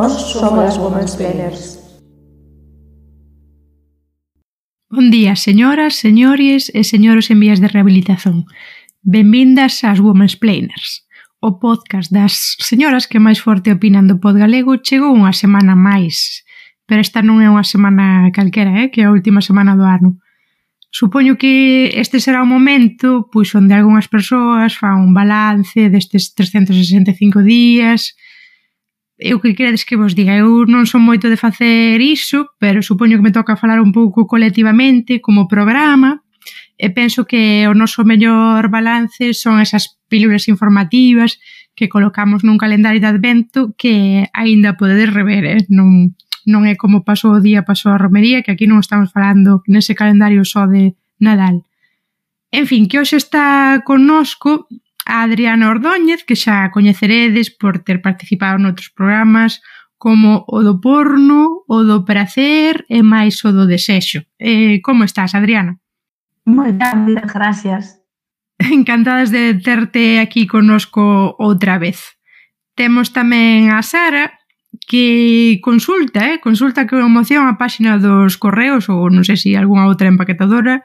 Nós somos as Womansplainers. Bon día, señoras, señores e señoros en vías de rehabilitación. Benvindas ás Womansplainers. O podcast das señoras que máis forte opinan do pod galego chegou unha semana máis. Pero esta non é unha semana calquera, que é a última semana do ano. Supoño que este será o momento pois onde algunhas persoas fan un balance destes 365 días. Eu que queredes que vos diga? Eu non son moito de facer iso, pero supoño que me toca falar un pouco colectivamente como programa e penso que o noso mellor balance son esas pílulas informativas que colocamos nun calendario de advento que aínda podedes rever, non é como pasou o día, pasou a romería, que aquí non estamos falando nese calendario só de Nadal. En fin, que hoxe está connosco a Adriana Ordóñez, que xa coñeceredes por ter participado noutros programas como o do porno, o do prazer e máis o do desexo. Como estás, Adriana? Moi ben, moitas gracias. Encantadas de terte aquí connosco outra vez. Temos tamén a Sara, que consulta con emoción a páxina dos correos ou non sei se algunha outra empaquetadora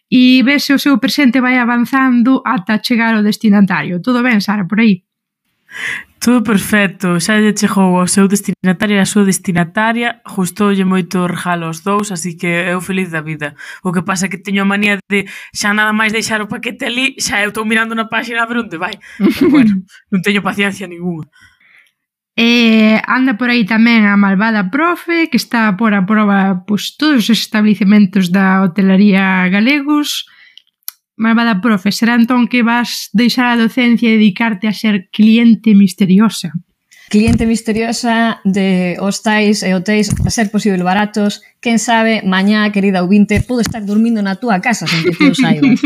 e ve se o seu presente vai avanzando ata chegar ao destinatario. Todo ben, Sara, por aí? Todo perfecto, xa lle chegou ao seu destinatario e a súa destinataria, gustoulle moito o regalo aos dous, así que eu feliz da vida. O que pasa é que teño a manía de xa nada máis deixar o paquete ali, xa eu estou mirando na página a ver onde vai. Pero bueno, non teño paciencia ninguna. Anda por aí tamén a malvada profe, que está a pôr a prova pois, todos os establecementos da hotelería galegos. Malvada profe, será entón que vas deixar a docencia e dedicarte a ser cliente misteriosa? Cliente misteriosa de hostais e hotéis a ser posible baratos. Quen sabe, mañá, querida ouvinte, podo estar dormindo na túa casa sen que ti o saibas.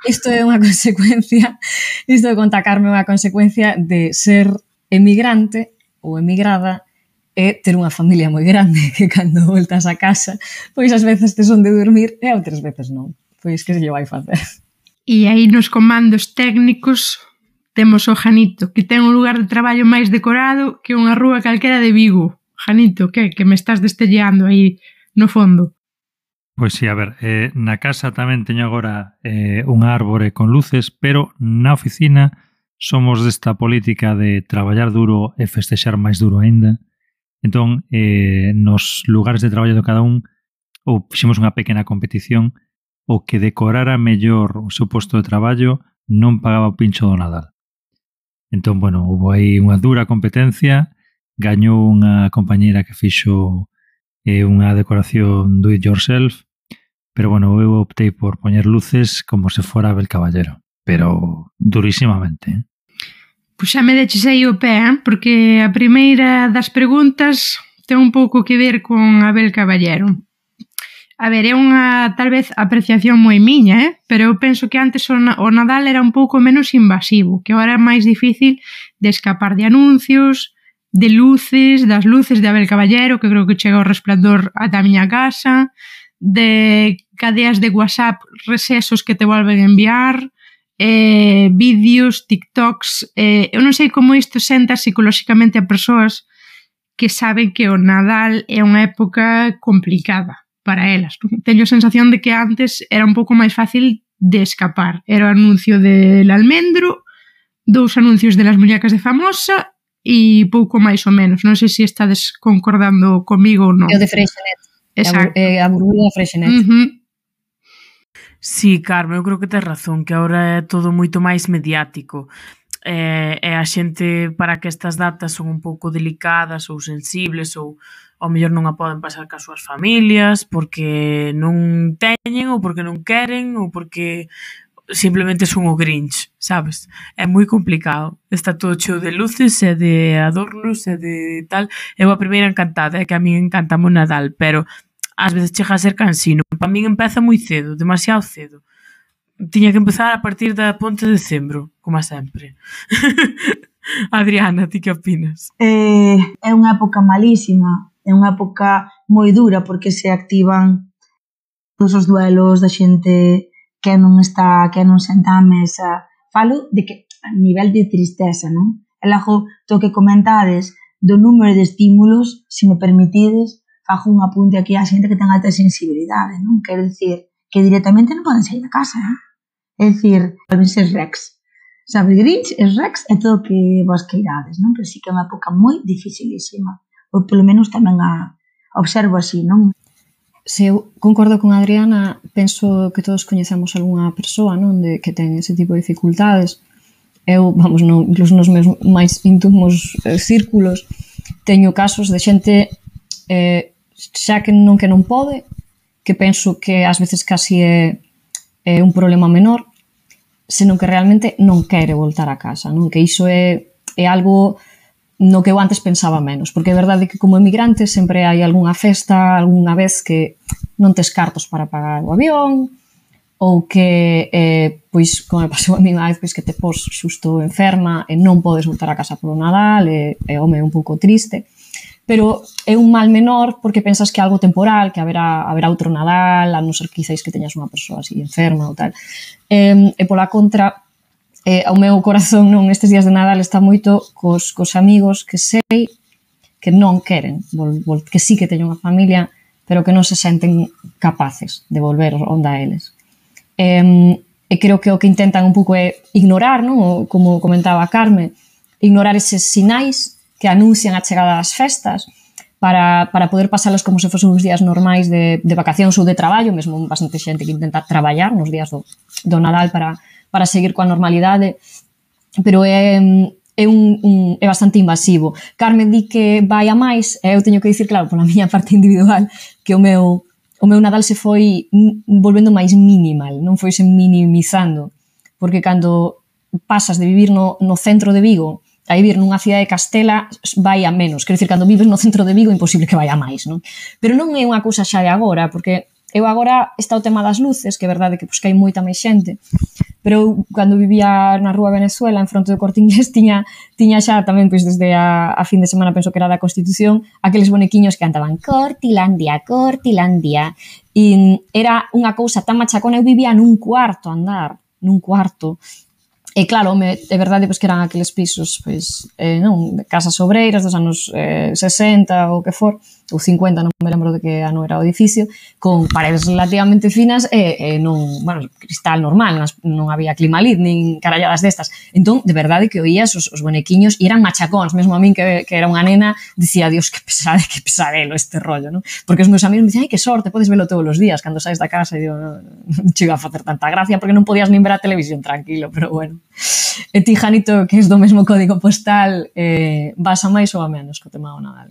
Isto é unha consecuencia, isto de contacarme unha consecuencia de ser emigrante ou emigrada e ter unha familia moi grande que cando voltas a casa, pois ás veces tes onde dormir e outras veces non. Pois que se lle vai facer. E aí nos comandos técnicos temos o Janito, que ten un lugar de traballo máis decorado que unha rúa calquera de Vigo. Janito, que me estás destelleando aí no fondo? Pois sí, a ver, na casa tamén teño agora unha árbore con luces, pero na oficina somos desta política de traballar duro e festexar máis duro aínda. Entón, nos lugares de traballo de cada un, ou fixemos unha pequena competición, o que decorara mellor o seu posto de traballo non pagaba o pincho do Nadal. Entón, bueno, houve aí unha dura competencia, gañou unha compañeira que fixo unha decoración do it yourself, pero bueno, eu optei por poñer luces como se fora Abel Caballero, pero durísimamente. Pois xa me deches aí o pé, porque a primeira das preguntas ten un pouco que ver con Abel Caballero. A ver, é unha, tal vez, apreciación moi miña, pero eu penso que antes o Nadal era un pouco menos invasivo, que agora é máis difícil de escapar de anuncios, de luces, das luces de Abel Caballero, que creo que chega o resplandor ata a miña casa, de cadeas de WhatsApp, resesos que te volven a enviar, vídeos, TikToks. Eu non sei como isto senta psicolóxicamente a persoas que saben que o Nadal é unha época complicada para elas. Teño a sensación de que antes era un pouco máis fácil de escapar. Era o anuncio del almendro, 2 anuncios de las muñecas de famosa e pouco máis ou menos. Non sei se estades concordando comigo ou non. É o de Freixenet. Exacto. A burbulla de Freixenet. Sí, Carmen, eu creo que tes razón, que agora é todo moito máis mediático. E a xente, para que estas datas son un pouco delicadas ou sensibles ou ao mellor non a poden pasar cas súas familias porque non teñen ou porque non queren ou porque simplemente son o Grinch, sabes? É moi complicado. Está todo cheo de luces e de adornos e de tal. Eu a primeira encantada, é que a mí encantame o Nadal, pero ás veces chega a ser cansino. Para min empeza moi cedo, demasiado cedo. Tiña que empezar a partir da ponte de decembro, como sempre. Adriana, ti que opinas? É unha época malísima, é unha época moi dura porque se activan todos os duelos da xente que non senta á mesa. Falo de que a nivel de tristeza, non? E logo, to que comentades do número de estímulos, se me permitides, fago un apunte aquí a xente que ten alta sensibilidade, non? Quero dicir, que directamente non poden sair da casa, É dicir, poden ser Rex. Sabe, Grinch, es Rex e todo o que vos queirades, non? Pero sí que é unha época moi dificilísima. Ou polo menos tamén observo así, non? Se eu concordo con Adriana, penso que todos coñecemos algunha persoa, non, que ten ese tipo de dificultades. Eu, vamos, non, incluso nos meus máis íntimos círculos, teño casos de xente xa que non pode, que penso que ás veces casi é un problema menor, senón que realmente non quere voltar a casa, non? Que iso é algo no que eu antes pensaba menos, porque é verdade que como emigrante sempre hai algunha festa, algunha vez que non tes cartos para pagar o avión, ou que, pois, como me pasou a mí unha vez, pois, que te pos xusto enferma e non podes voltar a casa polo Nadal, e home, é un pouco triste, pero é un mal menor porque pensas que é algo temporal, que haberá outro Nadal, a non ser que quizáis que teñas unha persoa así enferma ou tal. E pola contra, o meu corazón non estes días de Nadal está moito cos amigos que sei que non queren, que sí que teñen unha familia, pero que non se senten capaces de volver onde a eles. E creo que o que intentan un pouco é ignorar, non? Como comentaba a Carme, ignorar eses sinais que anuncian a chegada das festas para poder pasalos como se fosen uns días normais de vacacións ou de traballo, mesmo bastante xente que intenta traballar nos días do Nadal para seguir coa normalidade, pero é bastante invasivo. Carmen di que vai a máis, e eu teño que dicir, claro, pola miña parte individual, que o meu Nadal se foi volvendo máis minimal, non foi se minimizando, porque cando pasas de vivir no centro de Vigo a vivir nunha cidade de Castela vai a menos. Quero dicir, cando vives no centro de Vigo é imposible que vai a máis, non? Pero non é unha cousa xa de agora, porque eu agora está o tema das luces, que é verdade que hai moita máis xente, pero eu, cando vivía na Rúa Venezuela, en fronte do Corte Inglés, tiña xa tamén, pois, desde a fin de semana, penso que era da Constitución, aqueles bonequiños que cantaban Cortilandia, Cortilandia, e era unha cousa tan machacona. Eu vivía nun cuarto andar, e claro, é verdade que eran aqueles pisos, non, casas obreiras dos anos 60 ou que for, ou 50, non me lembro de que ano era o edificio, con paredes relativamente finas e non, bueno, cristal normal, non había climalid nin caralladas destas. Entón, de verdade que oías os bonequiños e eran machacóns, mesmo a min que era unha nena, dicía, Dios, que pesadelo este rollo, non? Porque os meus amigos me dicían, ai, que sorte, podes velo todos os días cando saes da casa, e digo, non che iba a facer tanta gracia porque non podías nin ver a televisión tranquilo, pero bueno. E ti, Janito, que és do mesmo código postal, vas a máis ou a menos co tema do Nadal?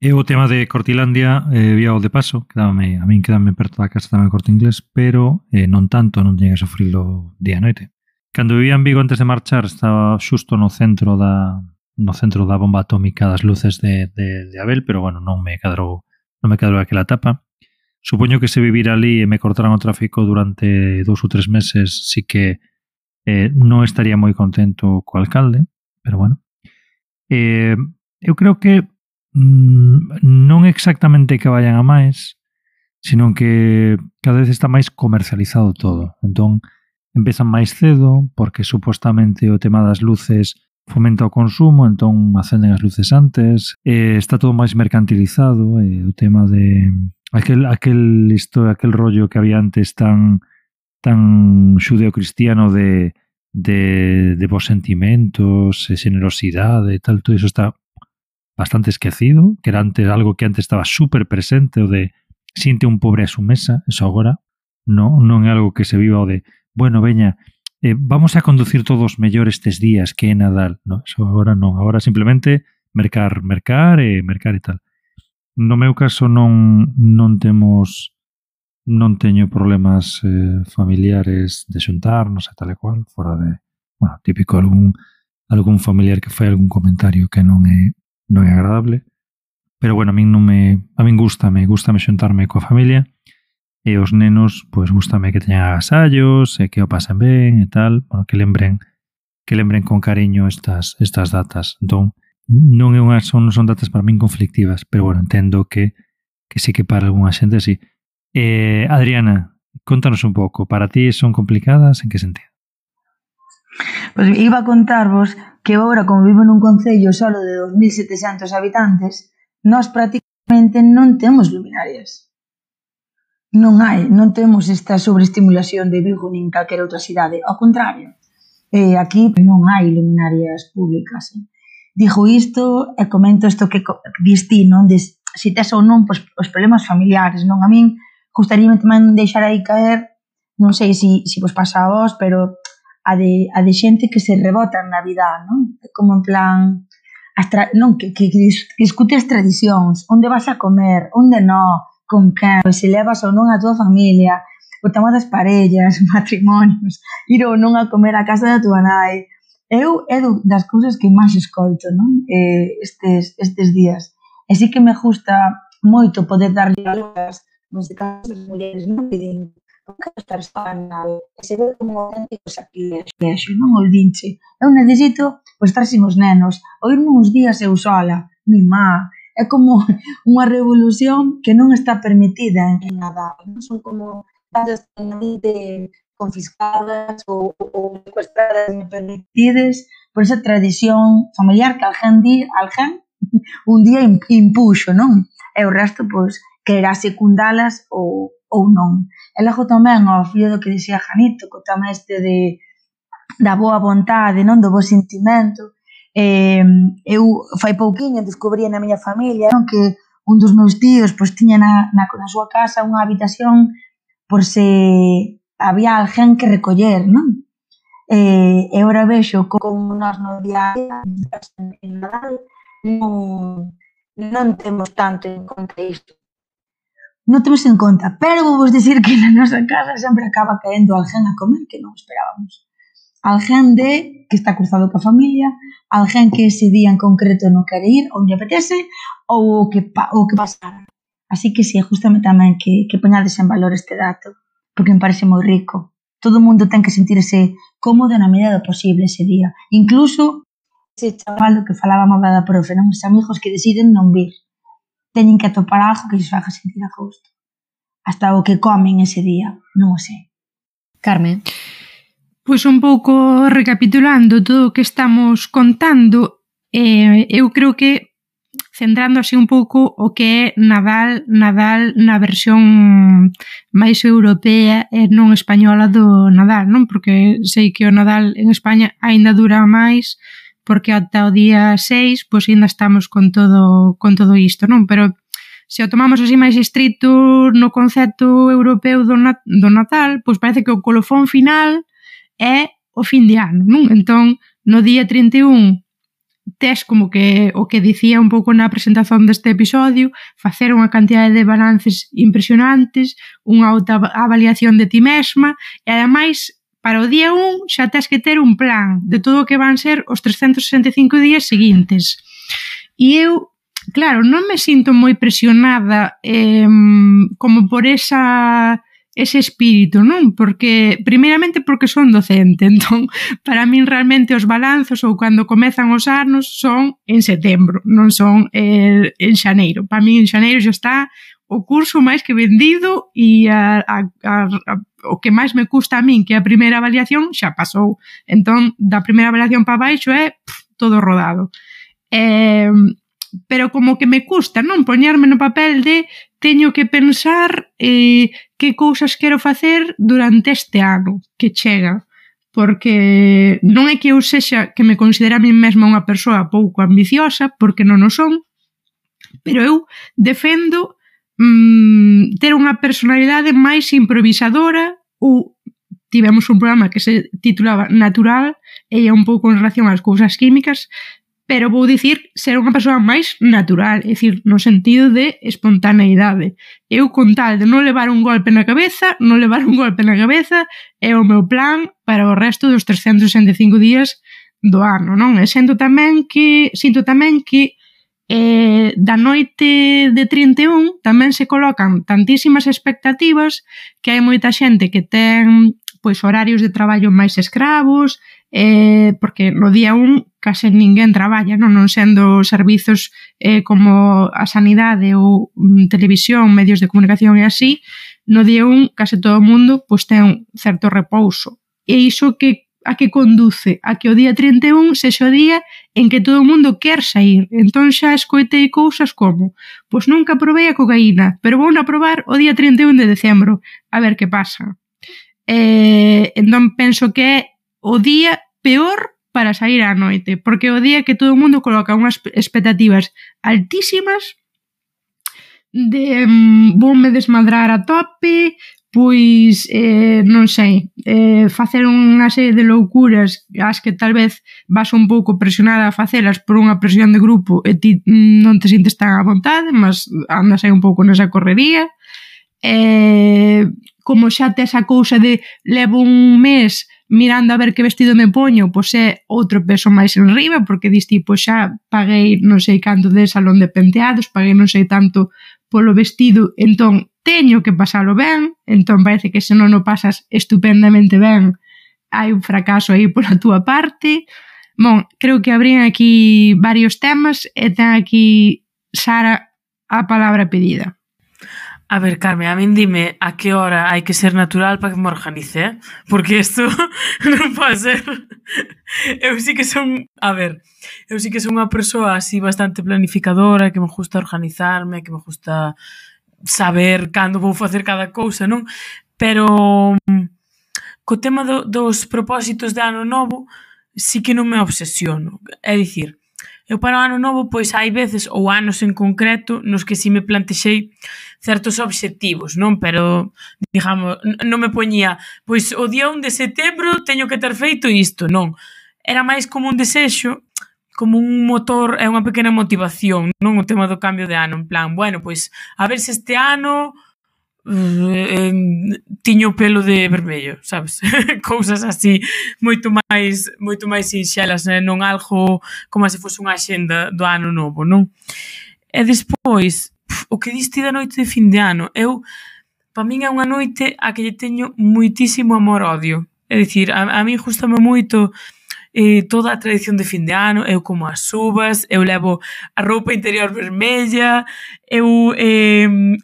E o tema de Cortilandia, vía o de paso, a min quedame perto da casa tamén Corte Inglés, pero non tanto, non teña que sofrilo día e noite. Cando vivía en Vigo antes de marchar, estaba xusto no centro da bomba atómica das luces de Abel, pero bueno, non me cadrou aquela etapa. Supoño que se vivira ali e me cortaran o tráfico durante 2 ou 3 meses, sí que non estaría moi contento co alcalde, pero bueno. Eu creo que non exactamente que vayan a máis, sino que cada vez está máis comercializado todo. Entón, empezan máis cedo, porque supostamente o tema das luces fomenta o consumo, entón acenden as luces antes, está todo máis mercantilizado, o tema de aquel rollo que había antes tan xudeo-cristiano de bons sentimentos, generosidade e tal, todo iso está bastante esquecido, que era antes algo que antes estaba super presente, o de siente un pobre a su mesa, eso agora non é algo que se viva o de, bueno, veña, vamos a conducir todos mellor estes días que é Nadal, no, eso agora non, agora simplemente mercar e tal. No meu caso non teño problemas familiares de xuntarnos e tal e cual, fora de, bueno, típico algún familiar que fai algún comentario que non é agradable, pero bueno, a min gústame xuntarme coa familia, e os nenos, pois gústame que teñan agasallos e que o pasen ben e tal, bueno, que lembren con cariño estas datas. Entón, non son datas para min conflictivas, pero bueno, entendo que sí que para algunha xente sí. Adriana, contanos un pouco, para ti son complicadas, en que sentido? Pois iba a contarvos que agora, como vivo nun concello solo de 2.700 habitantes, nós prácticamente non temos luminarias. Non temos esta sobreestimulación de Vigo nin calquera outra cidade. Ao contrario, aquí non hai luminarias públicas. Digo isto e comento isto que diste, non? Se tes ou non os problemas familiares, non? A min gustaríame tamén deixar aí caer, non sei se vos pasa a vos, pero a de xente que se rebota en Navidad, non? Como en plan, non, que discute as tradicións, onde vas a comer, onde non, con quen, se levas ou non a tua familia, o tema das parellas, matrimonios, ir ou non a comer a casa da tua nai. Eu é das cousas que máis escoito, non? Estes días. E sí que me gusta moito poder darlle valores, neste caso as mulleres, non? Que din, non quero estar sola, e se ve como un auténtico sacrilegio, non? O dinche, eu necesito estar sin os nenos, ou irme uns días eu sola, mi má. É como unha revolución que non está permitida en Nadal, non? Son como casas totalmente confiscadas ou secuestradas e permitidas por esa tradición familiar que alguén un día impuxo, non? E o resto, pois, quererá secundalas ou non. E logo tamén, ao fío do que dixía Janito, co tema este da boa vontade, non? Do bo sentimento. Eu fai pouquiño descubrí na miña familia, non? Que un dos meus tíos pois tiña na súa casa unha habitación por se había alguén que recoller, non? E agora vexo como nós no día a día, en Nadal, non temos tanto en conta isto. Non temos en conta, pero vou vos dicir que na nosa casa sempre acaba caendo alguén a comer que non esperábamos. Alguén que está cruzado coa familia, alguén que ese día en concreto non quere ir, ou non apetece, ou que pasara. Así que si, justame tamén que poñades en valor este dato, porque me parece moi rico. Todo o mundo ten que sentirse cómodo na medida do posible ese día. Incluso ese chaval que falábamos da profe, non? Os amigos que deciden non vir. Teñen que atopar algo que lles faga sentir a gusto. Hasta o que comen ese día, non o sei. Carme. Pois un pouco recapitulando todo o que estamos contando, eu creo que centrando así un pouco o que é Nadal na versión máis europea e non española do Nadal, non? Porque sei que o Nadal en España aínda dura máis, porque ata o día 6 pois ainda estamos con todo isto, non? Pero se o tomamos así máis estrito no concepto europeo do Natal, pois parece que o colofón final é o fin de ano, non? Entón, no día 31 tes como que o que dicía un pouco na presentación deste episodio, facer unha cantidade de balances impresionantes, unha autoavaliación de ti mesma, e ademais para o día 1 xa tes que ter un plan de todo o que van ser os 365 días seguintes. E eu, claro, non me sinto moi presionada como por ese espírito, non? Porque, primeiramente, porque son docente, entón, para min realmente os balanzos ou cando comezan os anos son en setembro, non son en xaneiro. Para min en xaneiro xa está o curso máis que vendido e o que máis me custa a min, que a primeira avaliación, xa pasou. Entón, da primeira avaliación para baixo é todo rodado. Pero como que me custa, non? Poñerme no papel de teño que pensar que cousas quero facer durante este ano que chega, porque non é que eu sexa que me considera a mí mesma unha persoa pouco ambiciosa, porque non o son, pero eu defendo ter unha personalidade máis improvisadora, ou tivemos un programa que se titulaba Natural e é un pouco en relación ás cousas químicas, pero vou dicir ser unha persoa máis natural, é dicir, no sentido de espontaneidade. Eu, con tal de non levar un golpe na cabeza, é o meu plan para o resto dos 365 días do ano, non? E sinto tamén que da noite de 31 tamén se colocan tantísimas expectativas que hai moita xente que ten pois horarios de traballo máis escravos, porque no día 1 case ninguén traballa, non sendo servizos como a sanidade ou televisión, medios de comunicación e así, no día 1 case todo o mundo pois ten certo repouso. E iso que a que conduce a que o día 31 sexa o día en que todo o mundo quer sair. Entón xa escoitei cousas como: pois nunca probei a cocaína, pero vou a probar o día 31 de decembro, a ver que pasa. Entón penso que é o día peor para sair á noite, porque é o día que todo o mundo coloca unhas expectativas altísimas de voume desmadrar a tope, pois, non sei, facer unha serie de loucuras as que tal vez vas un pouco presionada a facelas por unha presión de grupo e ti non te sintes tan a vontade, mas andas aí un pouco nesa correría. Como xa tes a cousa de levo un mes mirando a ver que vestido me poño, pois é outro peso máis en riba, porque dis tipo, xa paguei non sei canto de salón de penteados, paguei non sei tanto polo vestido, entón teño que pasalo ben, entón parece que se non o pasas estupendamente ben, hai un fracaso aí pola túa parte. Bon, creo que abrían aquí varios temas e ten aquí Sara a palabra pedida. A ver, Carmen, a min dime a que hora hai que ser natural para que me organice, porque isto non pode ser. Eu sí que son unha persoa así bastante planificadora, que me gusta organizarme, que me gusta saber cando vou facer cada cousa, non? Pero co tema dos propósitos de ano novo sí que non me obsesiono. É dicir, eu para o ano novo pois hai veces ou anos en concreto nos que si me plantexei certos obxectivos, non? Pero, digamos, non me poñía pois o día 1 de setembro teño que ter feito isto, non. Era máis como un desexo, como un motor e unha pequena motivación, non? O tema do cambio de ano, en plan, bueno, pois a ver se este ano tiño o pelo de vermello, sabes? Cousas así moito máis sinxelas, non algo como se fose unha axenda do ano novo, non? E despois, o que diste da noite de fin de ano, para min é unha noite a que lle teño moitísimo amor-odio. É dicir, a min gustame moito toda a tradición de fin de ano, eu como as uvas, eu levo a roupa interior vermella, eu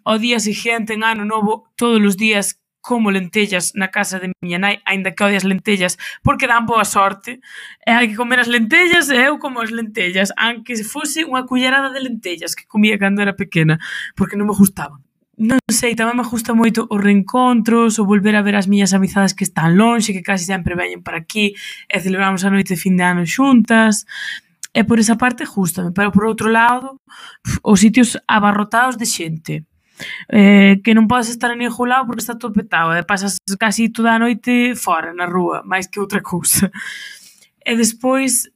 ao día seguinte en ano novo todos os días como lentellas na casa de miña nai, aínda que odie as lentellas porque dan boa sorte, e hai que comer as lentellas e eu como as lentellas, aunque fose unha cullerada de lentellas que comía cando era pequena, porque non me gustaban. Non sei, tamén me gusta moito os reencontros, o volver a ver as miñas amizades que están lonxe, que casi sempre veñen para aquí e celebramos a noite de fin de ano xuntas. E por esa parte gústame, pero por outro lado, os sitios abarrotados de xente, que non podes estar en ningún lado porque está todo petado e pasas casi toda a noite fora, na rúa, máis que outra cousa. E despois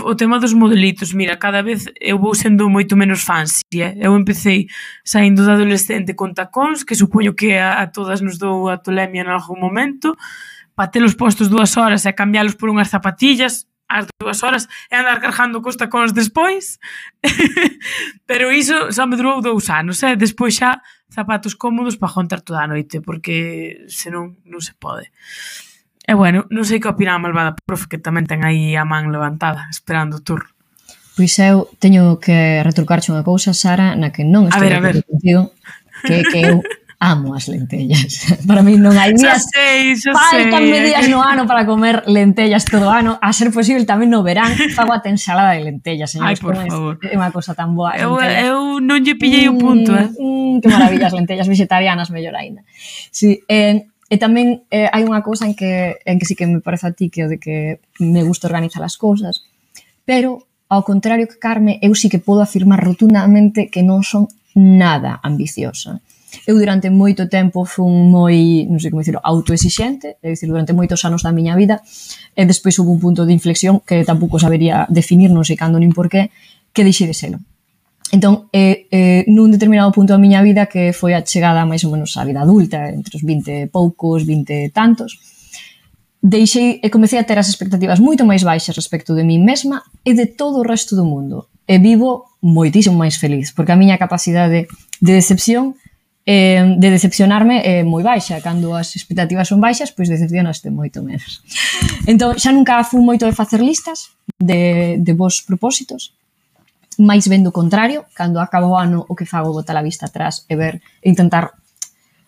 o tema dos modelitos, mira, cada vez eu vou sendo moito menos fancy, eu empecei saindo da adolescente con tacóns, que supoño que a todas nos dou a tolemia en algún momento, para telos postos 2 horas e cambiálos por unhas zapatillas ás 2 horas e andar cargando cos tacóns despois. Pero iso só me durou 2 anos, despois xa zapatos cómodos para aguantar toda a noite, porque senón non se pode. E bueno, non sei que opina a malvada profe, que tamén ten aí a man levantada, esperando o turno. Pois eu teño que retrucarche unha cousa, Sara, na que non estou de acordo contigo, que eu amo as lentellas. Para mí non hai días, faltanme días no ano para comer lentellas todo o ano, a ser posible tamén no verán, fago a ensalada de lentellas, señores. Ai, por favor. É unha cousa tan boa. Eu non lle pillei o punto, Que maravilla, as lentellas vegetarianas, mellor aínda. Sí, e tamén hai unha cousa en que sí que me parece a ti, que o de que me gusta organizar as cousas, pero ao contrario que Carme, eu sí que podo afirmar rotundamente que non son nada ambiciosa. Eu durante moito tempo fun moi, non sei como dicirlo, autoexixente, é dicir, durante moitos anos da miña vida, e despois houve un punto de inflexión que tampouco sabería definir, non sei cando nin porqué, que deixei de selo. Entón, nun determinado punto da miña vida, que foi a chegada máis ou menos á vida adulta, entre os 20 e poucos, 20 e tantos, deixei e comecei a ter as expectativas moito máis baixas respecto de mí mesma e de todo o resto do mundo. E vivo moitísimo máis feliz, porque a miña capacidade de decepción, de decepcionarme é moi baixa. Cando as expectativas son baixas, pois decepcionaste moito menos. Entón, xa nunca fui moito de facer listas de vos propósitos, máis ben do contrario, cando acaba o ano o que fago botar a vista atrás e ver, intentar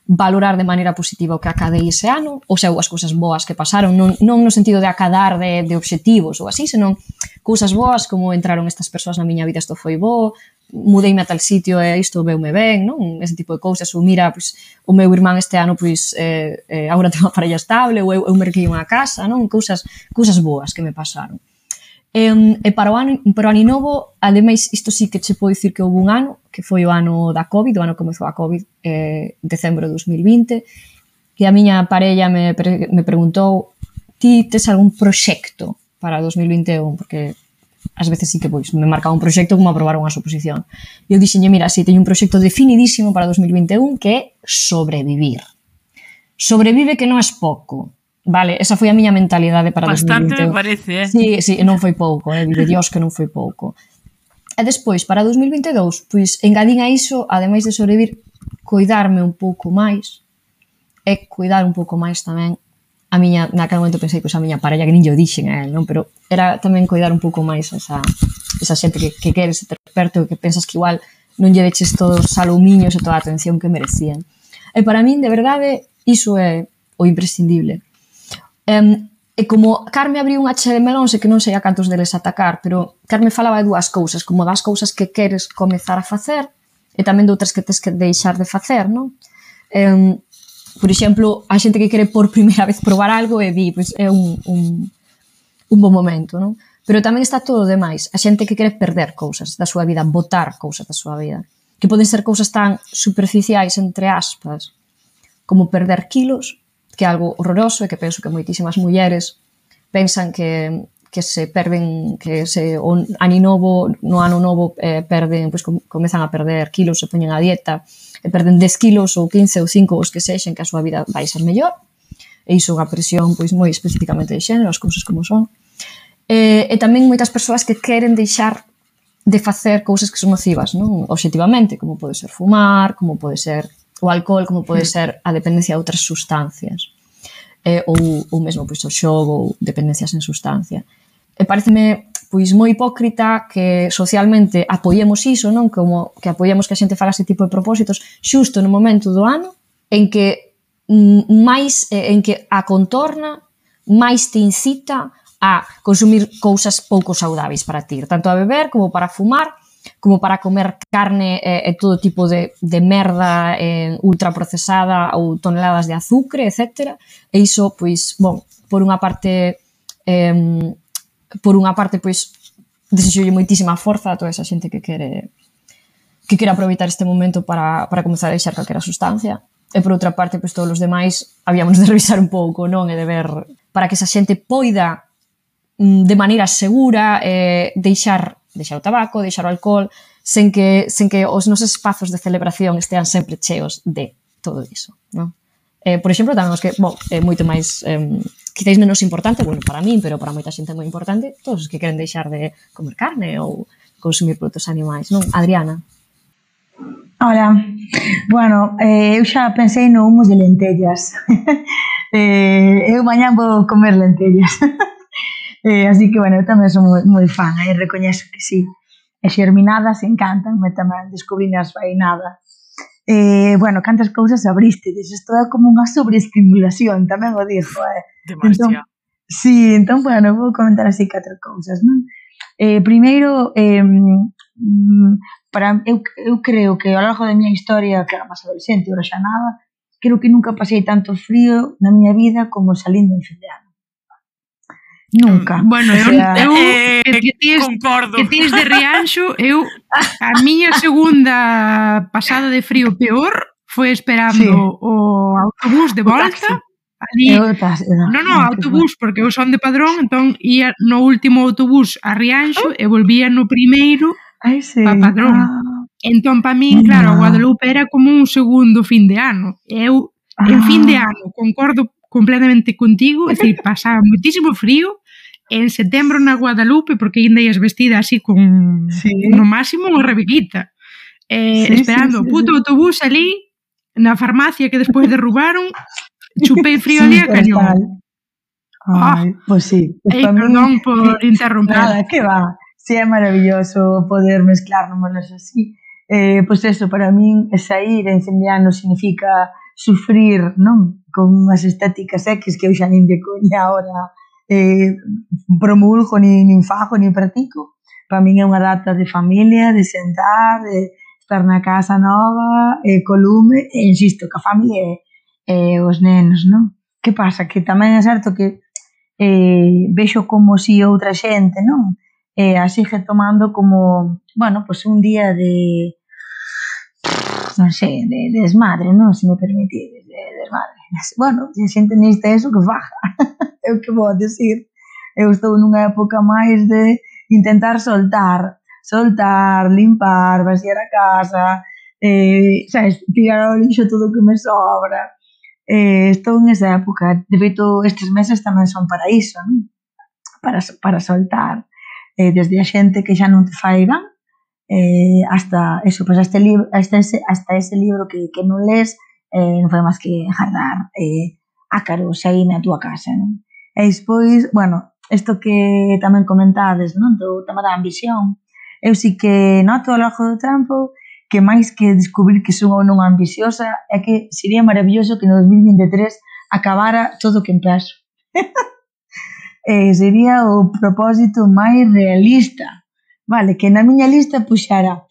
valorar de maneira positiva o que acadei ese ano, ou sea, as cousas boas que pasaron, non no sentido de acadar de obxectivos ou así, senón cousas boas como entraron estas persoas na miña vida, isto foi bo, mudeime a tal sitio e isto veume ben, non? Ese tipo de cousas, ou mira, pois, o meu irmán este ano pois agora ten unha parella estable, ou eu merquei unha casa, non? Cousas boas que me pasaron. E para o ano novo, ademais, isto sí que che podo dicir que houve un ano, que foi o ano da COVID, o ano que comezou a COVID, decembro de 2020, que a miña parella me preguntou: ti tes algún proxecto para 2021? Porque ás veces sí que pois, me marcaba un proxecto como aprobar unha suposición. E eu dixenlle, mira, sí, teño un proxecto definidísimo para 2021 que é sobrevivir. Sobrevive que non é pouco. Vale, esa foi a miña mentalidade para 2021. Bastante me parece, Sí, non foi pouco, vive Dios que non foi pouco. E despois, para 2022, pois, engadín a iso, ademais de sobrevivir, cuidarme un pouco máis, e cuidar un pouco máis tamén a miña, naquele momento pensei que a miña parella, que nin yo dixen a él, non? Pero era tamén cuidar un pouco máis esa xente que queres ter perto, que pensas que igual non lle deches todos os salumiños e toda a atención que merecían. E para min, de verdade, iso é o imprescindible. E como Carme abriu unha che de melóns e que non sei a cantos deles atacar, pero Carme falaba de dúas cousas, como das cousas que queres comezar a facer e tamén de outras que tes que deixar de facer, non? Por exemplo, a xente que quere por primeira vez probar algo e di, pois é un bon momento, non? Pero tamén está todo o demais, a xente que quere perder cousas da súa vida, botar cousas da súa vida, que poden ser cousas tan superficiais, entre aspas, como perder kilos, que é algo horroroso e que penso que moitísimas mulleres pensan que se perden, que se no ano novo perden, pois comezan a perder kilos, se poñen a dieta e perden 10 kilos ou 15 ou 5 os que sexen, que a súa vida vai ser mellor, e iso é unha presión pois moi especificamente de xénero, as cousas como son. E tamén moitas persoas que queren deixar de facer cousas que son nocivas, non? Obxectivamente, como pode ser fumar, como pode ser o alcohol, como pode ser a dependencia de outras sustancias, ou mesmo pois, o xogo ou dependencias en sustancia. E pareceme pois moi hipócrita que socialmente apoiemos iso, non? Como que apoiemos que a xente faga ese tipo de propósitos xusto no momento do ano en que en que a contorna máis te incita a consumir cousas pouco saudáveis para ti, tanto a beber como para fumar, como para comer carne e todo tipo de merda ultraprocesada ou toneladas de azúcar, etc. E iso, pois, bon, por unha parte, pois, desexolle moitísima forza a toda esa xente que quere aproveitar este momento para comezar a deixar calquera sustancia. E por outra parte, pois, todos os demais habíamos de revisar un pouco, non? E de ver para que esa xente poida de maneira segura deixar o tabaco, deixar o alcohol, sen que os nosos espazos de celebración estean sempre cheos de todo iso, non? Por exemplo, tamén os que, é moito máis, quizáis menos importante, bueno, para min, pero para moita xente é moi importante, todos os que queren deixar de comer carne ou consumir produtos animais, non? Adriana. Hola, bueno, eu xa pensei no humus de lentellas. Eu mañán vou comer lentellas. Así que, bueno, eu tamén son moi fan, recoñezo que sí. E xerminadas encantan, tamén descubrín as fainadas. Bueno, cantas cousas abristedes, isto é como unha sobreestimulación, tamén o dixo. Demasiado. Sí, entón, bueno, vou comentar así 4 cousas, non? Primeiro, eu creo que ao largo da miña historia, que era máis adolescente, ora xa nada, creo que nunca pasei tanto frío na miña vida como salindo en fin de ano. Nunca. Bueno, concordo. Que tens de Rianxo, a miña segunda pasada de frío peor foi esperando o autobús de volta. Ali, autobús, porque eu son de Padrón, entón ia no último autobús a Rianxo e volvía no primeiro a Padrón. Entón, para min, claro, Guadalupe era como un segundo fin de ano. Eu, en fin de ano, concordo completamente contigo, é dicir, pasaba moitísimo frío. En setembro na Guadalupe, porque ainda ias vestida así con no máximo unha rebiguita, esperando o puto autobús ali na farmacia que despois derrubaron, chupei frío ali a cañón. Pois sí. Perdón por interromper. Nada, que va. Sí, é maravilloso poder mezclar números así. Pois eso, para min, sair en fin de ano significa sufrir, non? Con unhas estéticas X que eu xa nin de coña ahora promulgo, nin fago, nin practico. Para min é unha data de familia, de sentar, de estar na casa nova, co lume, e insisto, que a familia e os nenos, non? Que pasa? Que tamén é certo que vexo como si outra xente, non? A sigue tomando como, bueno, pues un día de, non sei, de desmadre, non? Se me permitides, de desmadre. Bueno, se a xente neste eso, que faja. É o que vou decir. Eu estou nunha época máis de intentar soltar, limpar, vaciar a casa, sabes, tirar ao lixo todo o que me sobra. Estou nesa época. De feito, estes meses tamén son para iso, non? Para soltar. Desde a xente que xa non te fai ben, hasta eso, pues hasta ese libro que non lees, non fai máis que jardar ácaros aí na túa casa, non? E despois, bueno, isto que tamén comentades, non? Do tema da ambición, eu sí que noto ao longo do tempo que máis que descubrir que son ou non ambiciosa é que sería maravilloso que no 2023 acabara todo o que empezo. Sería o propósito máis realista, vale, que na miña lista puxara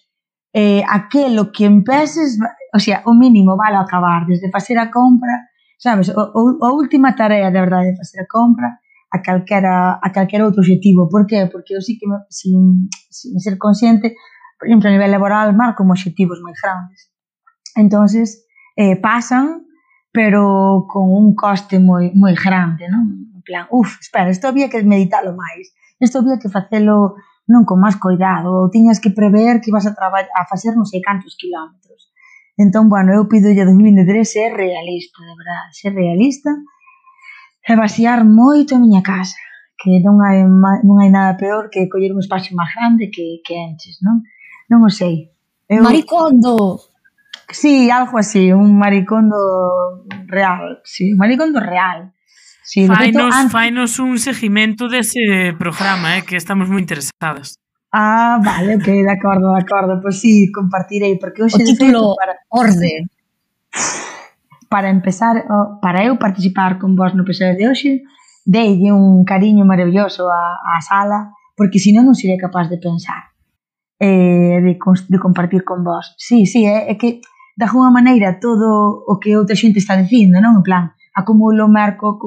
aquelo que empeces, o sea, o mínimo vale acabar, desde facer a compra, sabes, a última tarea de verdade de facer a compra a calquera outro objetivo. Por qué? Porque eu sí que sin ser consciente, por exemplo, a nivel laboral marco objetivos moi grandes, entonces pasan, pero con un coste moi grande, non? En plan, espera, isto había que meditalo máis, isto había que facelo non con máis cuidado, ou tiñas que prever que ibas a facer non sei cantos kilómetros. Entón, bueno, eu pido a 2023 ser realista, de verdade, ser realista e vaciar moito a miña casa, que non hai nada peor que coller un espacio máis grande que enches, non? Non o sei. Maricondo! Sí, algo así, un maricondo real, sí, un maricondo real. Sí, fainos un seguimento dese programa, que estamos moi interesadas. Vale, ok, de acordo. Pois sí, compartirei, porque hoxe o título Orde. Para empezar, para eu participar con vos no episodio de hoxe, deille un cariño maravilloso á sala, porque senón non sería capaz de pensar, de compartir con vos. Sí, é que de alguma maneira todo o que outra xente está dicindo, non? En plan, acumulo, marco,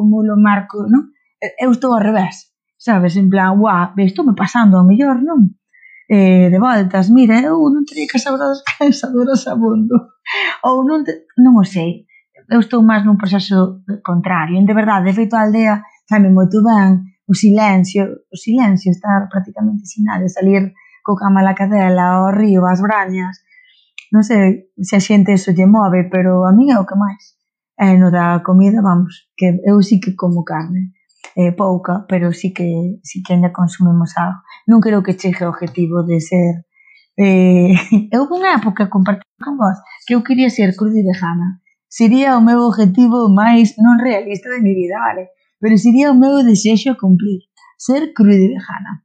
non? Eu estou ao revés, sabes? En plan, estou me pasando ao mellor, non? De voltas, mira, eu non teria cansadoras abondo. Ou non o sei. Eu estou máis nun proceso contrario. De verdade, de feito, a aldea sabe moito ben, o silencio, estar prácticamente sin nada, salir co cama a la cadela, ao río, ás brañas. Non sei se a xente eso lle move, pero a mí é o que máis. No da comida, vamos, que eu sí que como carne, pouca, pero sí que ainda consumimos algo. Non creo que chegue o objetivo de ser... Eu unha época compartir con vos que eu quería ser cruda e vegana. Sería o meu objetivo máis non realista de mi vida, vale? Pero sería o meu desexo a cumplir, ser cruda e vegana.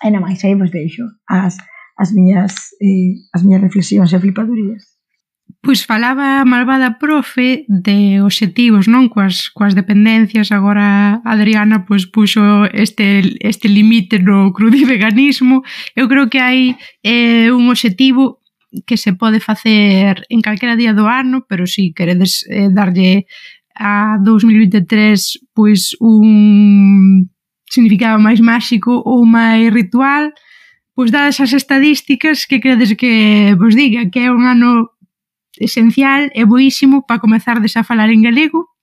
E non máis, aí vos deixo as miñas reflexións e flipadurías. Pois falaba a malvada profe de obxectivos, non? Coas dependencias. Agora Adriana pois puxo este limite no crudiveganismo. Eu creo que hai un obxectivo que se pode facer en calquera día do ano, pero si queredes darlle a 2023 pois un significado máis máxico ou máis ritual, pois dadas as estadísticas, que credes que vos diga? Que é un ano esencial e boísimo para comezardes a falar en galego,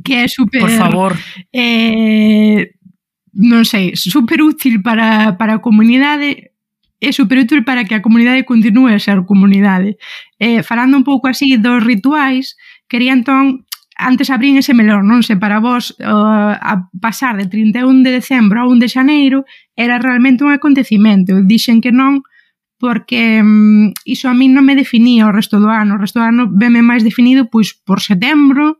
que é super... Por favor. Non sei, super útil para a comunidade, é super útil para que a comunidade continue a ser comunidade. Falando un pouco así dos rituais, quería entón, antes abrín ese melón, non sei, para vos a pasar de 31 de decembro a 1 de xaneiro era realmente un acontecimento. Dixen que non, porque iso a min non me definía o resto do ano. O resto do ano veme máis definido pois por setembro,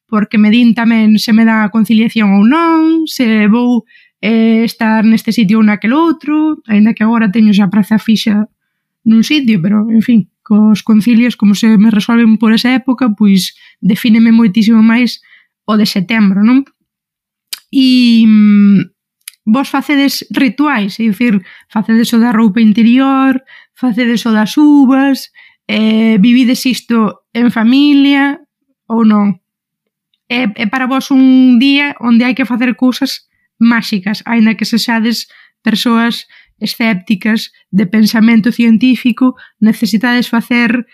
porque me din tamén se me dá a conciliación ou non, se vou estar neste sitio ou naquele outro, aínda que agora teño xa praza fixa nun sitio, pero, en fin, cos concilios, como se me resolven por esa época, pois defíneme moitísimo máis o de setembro, non? E vos facedes rituais, é dicir, facedes o da roupa interior, facedes o das uvas, vivides isto en familia ou non? É para vos un día onde hai que facer cousas máxicas, aínda que sexades persoas escépticas de pensamento científico, necesitades facer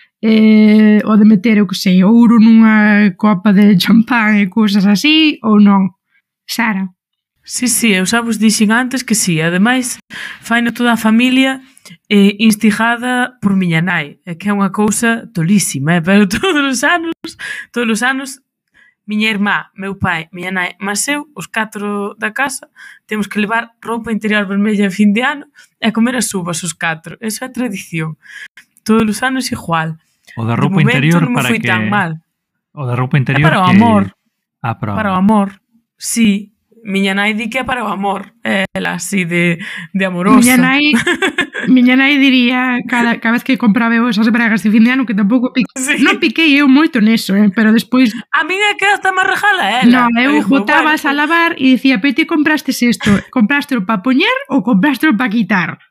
o de meter, o que sei, ouro nunha copa de champán e cousas así, ou non? Sara? Sí, eu xa vos dixen antes que sí, ademais faino toda a familia instigada por miña nai, que é unha cousa tolísima, pero todos os anos miña irmá, meu pai, miña nai, mas eu, os 4 da casa, temos que levar roupa interior vermella a fin de ano e comer as uvas os 4, esa é a tradición, todos os anos igual. O da roupa interior non me para foi que... tan mal. O da roupa interior para o que... amor. Para o amor, sí. Miña nai di que é para o amor, ela así de amorosa. Miña nai diría cada vez que compraba esas bragas de fin de ano que tampouco sí. Non piquei eu moito neso, pero despois... A min é que hasta me regala ela. Non, eu botabas a lavar e dicía, pero ti comprastes isto, comprastelo para poñer ou comprastelo para quitar?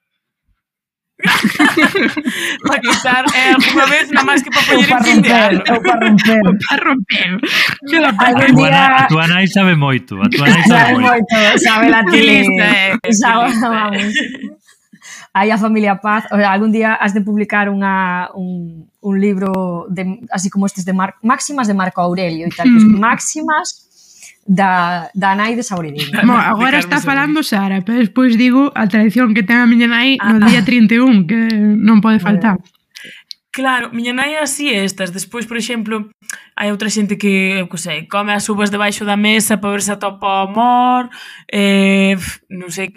Para quitar alguna vez nada máis que para poñer en fin de ano. Ou para romper. Para romper. A tua nai sabe moito. A tua nai sabe moito. Sabe la tele. Vamos. Aí a familia Paz, o sea, algún día has de publicar un libro de, así como estes de máximas de Marco Aurelio e tal, máximas da nai de Saboridiño. Agora está falando Sara, pero despois digo a tradición que ten a miña nai no día 31, que non pode faltar. Claro, miña nai así estas. Despois, por exemplo, hai outra xente que, eu que sei, come as uvas debaixo da mesa para ver se atopa o amor, non sei...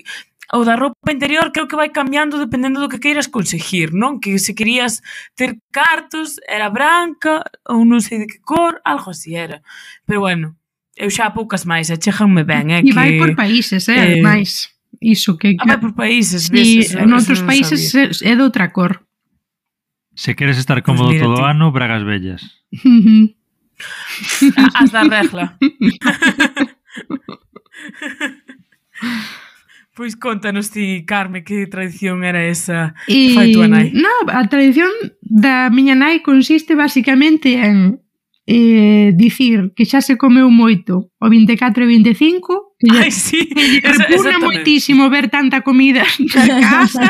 O da roupa interior creo que vai cambiando dependendo do que queiras conseguir, non? Que se querías ter cartos, era branca, ou non sei de que cor, algo así era. Pero bueno, eu xa poucas máis, cheganme ben, E vai por países, máis. Iso que... vai por países, ves? En outros países é de outra cor. Se queres estar cómodo todo o ano, bragas vellas. As da regla. Pois contanos ti, Carme, que tradición era esa que fai tua nai? Non, a tradición da miña nai consiste basicamente en dicir que xa se comeu moito o 24 e 25, Ai, sí, que repugna moitísimo ver tanta comida na casa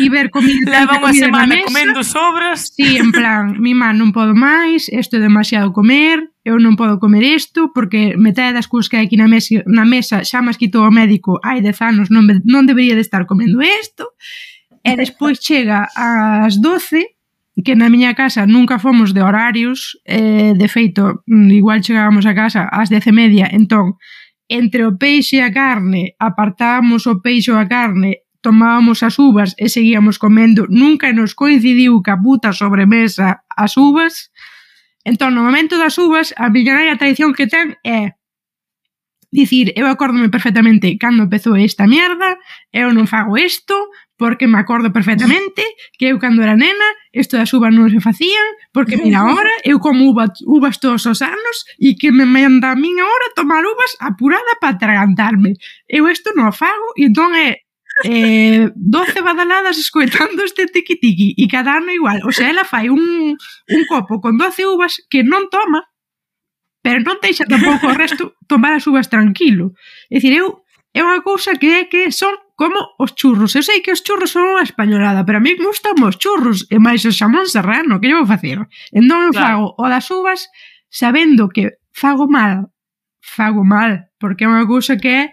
e ver comida leva unha semana na mesa. Comendo sobras. Sí, en plan, mi má non podo máis, isto é demasiado comer, eu non podo comer isto porque metade das cousas que hai aquí na mesa xa mas quitou o médico hai 10 anos, non debería de estar comendo isto. E despois chega ás 12, que na miña casa nunca fomos de horarios, de feito, igual chegábamos a casa ás 10:30, entón, entre o peixe e a carne, apartábamos o peixe ou a carne, tomábamos as uvas e seguíamos comendo, nunca nos coincidiu ca puta sobremesa as uvas. Entón, no momento das uvas, a miña nai a tradición que ten é dicir, eu acórdome perfectamente cando empezou esta mierda, eu non fago isto, porque me acordo perfectamente que eu cando era nena, isto das uvas non se facían, porque mira, ahora eu como uvas todos os anos e que me manda a min ahora tomar uvas apurada para atragantarme. Eu isto non fago e entón é 12 badaladas escoitando este tiqui-tiqui e cada ano igual. O sea, ela fai un copo con 12 uvas que non toma, pero non deixa tampouco o resto tomar as uvas tranquilo. É dicir, é unha cousa que son como os churros. Eu sei que os churros son unha españolada, pero a mí me gustan os churros e máis o xamón serrano, que eu vou facer? Entón eu fago o das uvas sabendo que fago mal, porque é unha cousa que é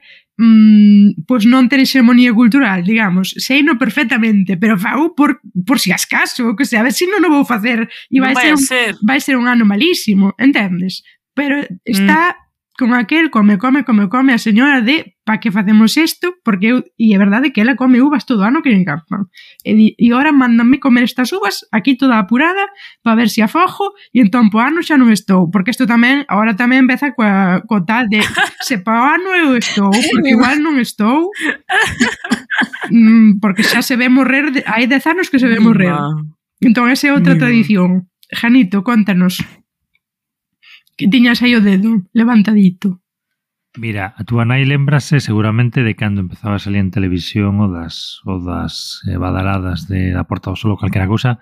pois non ter hegemonía cultural, digamos, seino perfectamente, pero fago por si acaso, que sei, a ver se non o vou facer e vai ser un ano malísimo, entendes? Pero está con aquel come a señora de pa que facemos isto, porque e é verdade que ela come uvas todo ano que lle encantan. E agora mandanme comer estas uvas aquí toda apurada para ver se afojo e entón po ano xa non estou, porque isto tamén, agora tamén empeza co tal de se pa ano eu estou, porque igual non estou, porque xa se ve morrer, hai 10 anos que se ve morrer. Entón, esa é outra tradición. Janito, contanos. Que tiñas aí o dedo levantadito. Mira, a túa nai lembrase seguramente de cando empezaba a salir en televisión o das badaladas de a Porta do Sol ou calquera cousa,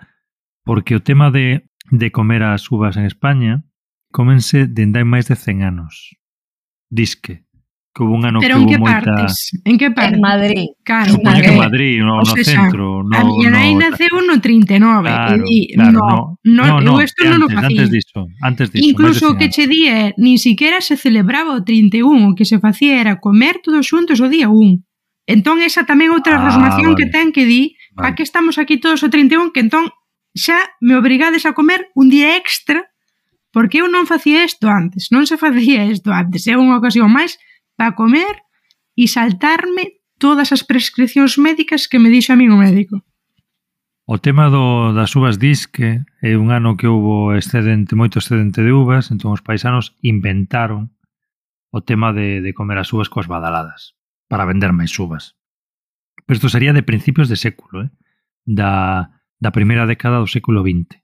porque o tema de comer as uvas en España comense dende hai máis de 100 anos. Disque. Que hubo un ano Pero que en que hubo moita... partes? En que partes? En Madrid. Claro, Supoño que porque, en Madrid, no centro. a miña nai naceu no 39. Claro, e di, claro, eu isto non o facía. Antes diso. Incluso o que che di é, nin siquiera se celebraba o 31, o que se facía era comer todos xuntos o día 1. Entón, esa tamén outra rosmación que ten que di, pa que estamos aquí todos o 31, que entón xa me obrigades a comer un día extra, porque eu non facía isto antes, non se facía isto antes, é unha ocasión máis para comer e saltarme todas as prescripcións médicas que me dixo a min o médico. O tema das uvas disque é un ano que houbo moito excedente de uvas, entón os paisanos inventaron o tema de comer as uvas coas badaladas para vender máis uvas. Pero isto sería de principios de século, da primeira década do século XX.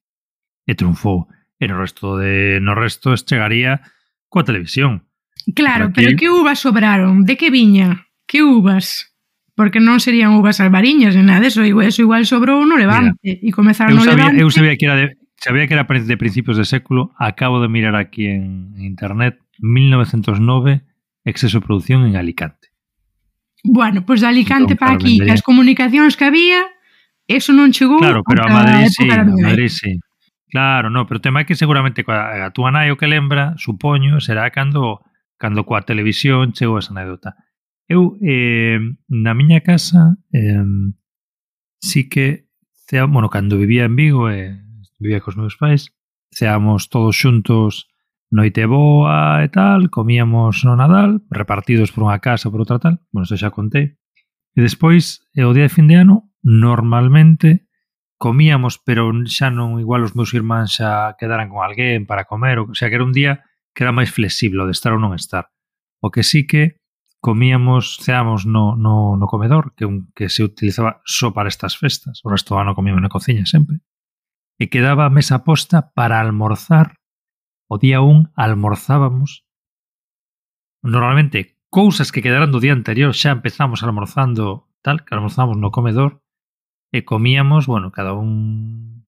E triunfou. E no resto chegaría coa televisión. Claro, pero que uvas sobraron? De que viña? Que uvas? Porque non serían uvas albariñas ni nada, eso igual sobrou no Levante. E comezaron no Levante. Eu sabía que era de principios de século. Acabo de mirar aquí en internet 1909, exceso de producción en Alicante. Bueno, pois de Alicante para aquí, as comunicacións que había, eso non chegou. Claro, pero a Madrid sí. Claro, no, pero o tema é que seguramente a túa nai o que lembra, supoño, será cando coa televisión chegou esa anécdota. Eu, na miña casa, sí que, cando vivía en Vigo, vivía cos meus pais, ceábamos todos xuntos noite boa e tal, comíamos no Nadal, repartidos por unha casa, por outra tal, isto xa contei. E despois, o día de fin de ano, normalmente comíamos, pero xa non igual os meus irmáns xa quedaran con alguén para comer, o sea que era un día que era máis flexible de estar ou non estar. O que sí que ceábamos no comedor, que se utilizaba só para estas festas, o resto do ano comíamos na cociña sempre, e quedaba a mesa posta para almorzar. O día 1 almorzábamos normalmente cousas que quedaran do día anterior, xa empezamos almorzando tal, que almorzábamos no comedor e comíamos, cada un...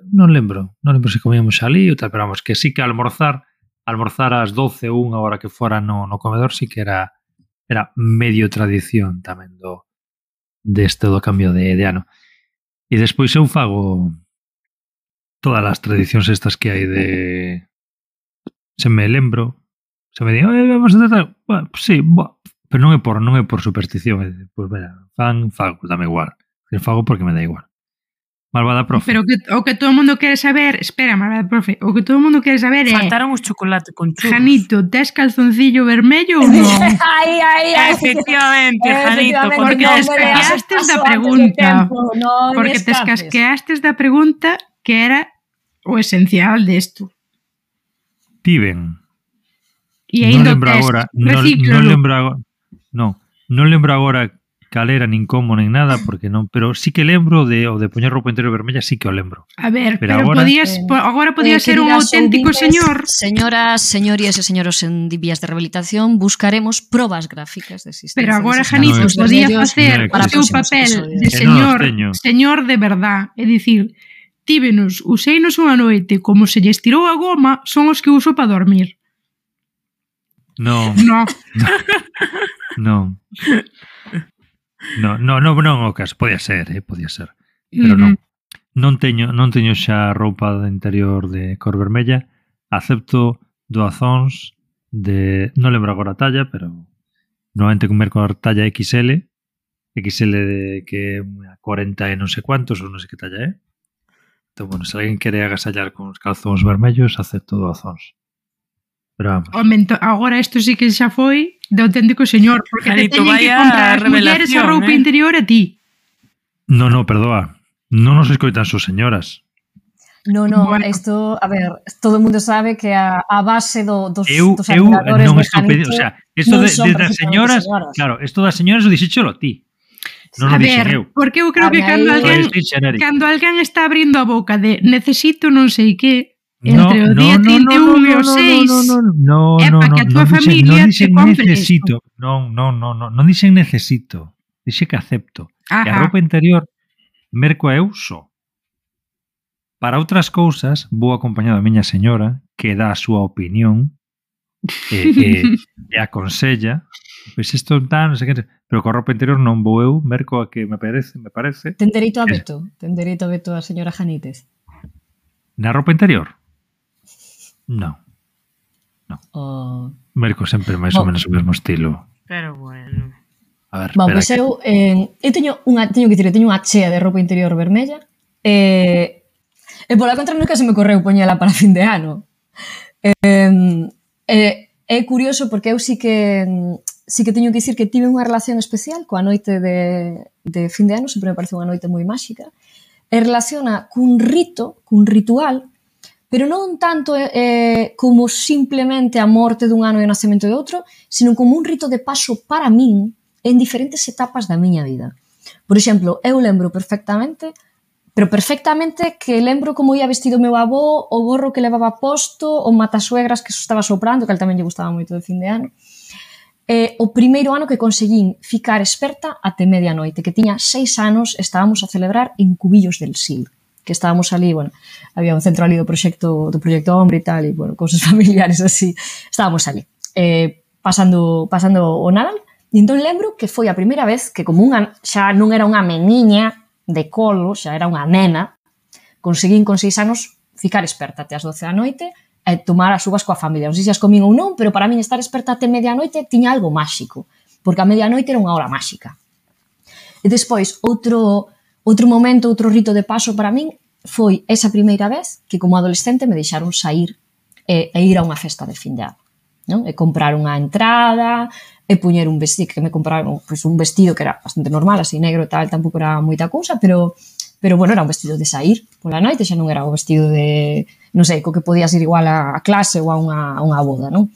Non lembro se comíamos ali ou tal, pero vamos, que sí que almorzar ás 12 ou unha hora que fora no comedor sí que era medio tradición tamén do cambio de ano. E despois eu fago todas as tradicións estas que hai de... Se me lembro, se me di, vamos a tratar... Sí, pero non é por superstición. Pois mira, fago, dame igual. Fago porque me dá igual. Malvada profe. Pero o que todo o mundo quere saber... Espera, malvada profe. O que todo o mundo quere saber é... Faltaron os chocolate con churros. Janito, tes calzoncillo vermello ou non? Efectivamente, Janito. Porque descasqueastes da pregunta. Porque descasqueastes da pregunta que era o esencial desto. Tiven. E aí non lembro agora cal era, nin como, nin nada, porque non, pero sí que lembro de poñer roupa interior vermella, sí que o lembro. A ver, pero agora podía ser un auténtico señor. Señoras, señores e señoros en vías de rehabilitación, buscaremos probas gráficas de existencia. Pero agora Janito podía facer o seu papel de señor de verdad, é dicir, tívenos, uséinos unha noite, como se lle estirou a goma, son os que uso para dormir. Non, o caso, podía ser. Pero non teño xa roupa de interior de cor vermella, acepto doazóns non lembro agora a talla, pero normalmente comer con talla XL de que 40 e non sei cuantos, ou non sei que talla é. Entón, se alguén quere agasallar con os calzóns vermellos, acepto doazóns. Pero vamos. Agora isto sí que xa foi de auténtico señor, porque te teñen que comprar as mulleres a roupa interior a ti. No, perdoa. Non nos escoitan só señoras. No, isto, a ver, todo o mundo sabe que a base dos admiradores de Janito o sea, isto das señoras, claro, isto das señoras o dixéchelo a ti. Non o A dixen ver, eu. porque eu creo que cando alguén está abrindo a boca de necesito non sei que entre o día 31 e o 6 é para que a túa familia te compre isto. Non dixen necesito. Dixe que acepto. E a Ajá. roupa interior merco a eu só. Para outras cousas, vou acompañado da miña señora, que dá a súa opinión e aconsella, pois isto non sei que, pero co roupa interior non vou eu, merco a que me parece. Ten dereito a veto? Ten dereito a veto a señora Janítez? Na roupa interior? Non. Oh. Merco sempre máis ou menos o mesmo estilo. Pero bueno. A ver, Bueno, pois eu teño que dicir, teño unha chea de roupa interior vermella e pola contra nunca se me correu poñela para fin de ano. É curioso porque eu sí que teño que dicir que tive unha relación especial coa noite de fin de ano, sempre me parece unha noite moi máxica, e relaciona cun ritual, pero non tanto como simplemente a morte dun ano e o nacemento de outro, sino como un rito de paso para min en diferentes etapas da miña vida. Por exemplo, eu lembro perfectamente que lembro como ia vestido o meu avó, o gorro que levaba posto, o matasuegras que estaba soprando, que al tamén lle gustaba moito de fin de ano. O primeiro ano que conseguín ficar experta até medianoite, que tiña 6 anos, estábamos a celebrar en Cubillos del Sil, que estábamos ali, bueno, había un centro ali do proxecto Hombre e tal, e, bueno, cousas familiares así, estábamos ali, pasando o Nadal, e entón lembro que foi a primeira vez que como xa non era unha meniña de colo, xa era unha nena, conseguín con 6 anos ficar experta até as 12 da noite e tomar as uvas coa familia. Non sei se as comín ou non, pero para min estar experta até medianoite tiña algo máxico, porque a medianoite era unha hora máxica. E despois, outro momento, outro rito de paso para min foi esa primeira vez que como adolescente me deixaron sair e ir a unha festa de fin de ano, non? E comprar unha entrada e puñer un vestido, que me compraron pois, un vestido que era bastante normal, así negro e tal, tampouco era moita cousa, pero bueno, era un vestido de sair pola noite, xa non era o vestido de, non sei, co que podías ir igual a clase ou a unha boda, non?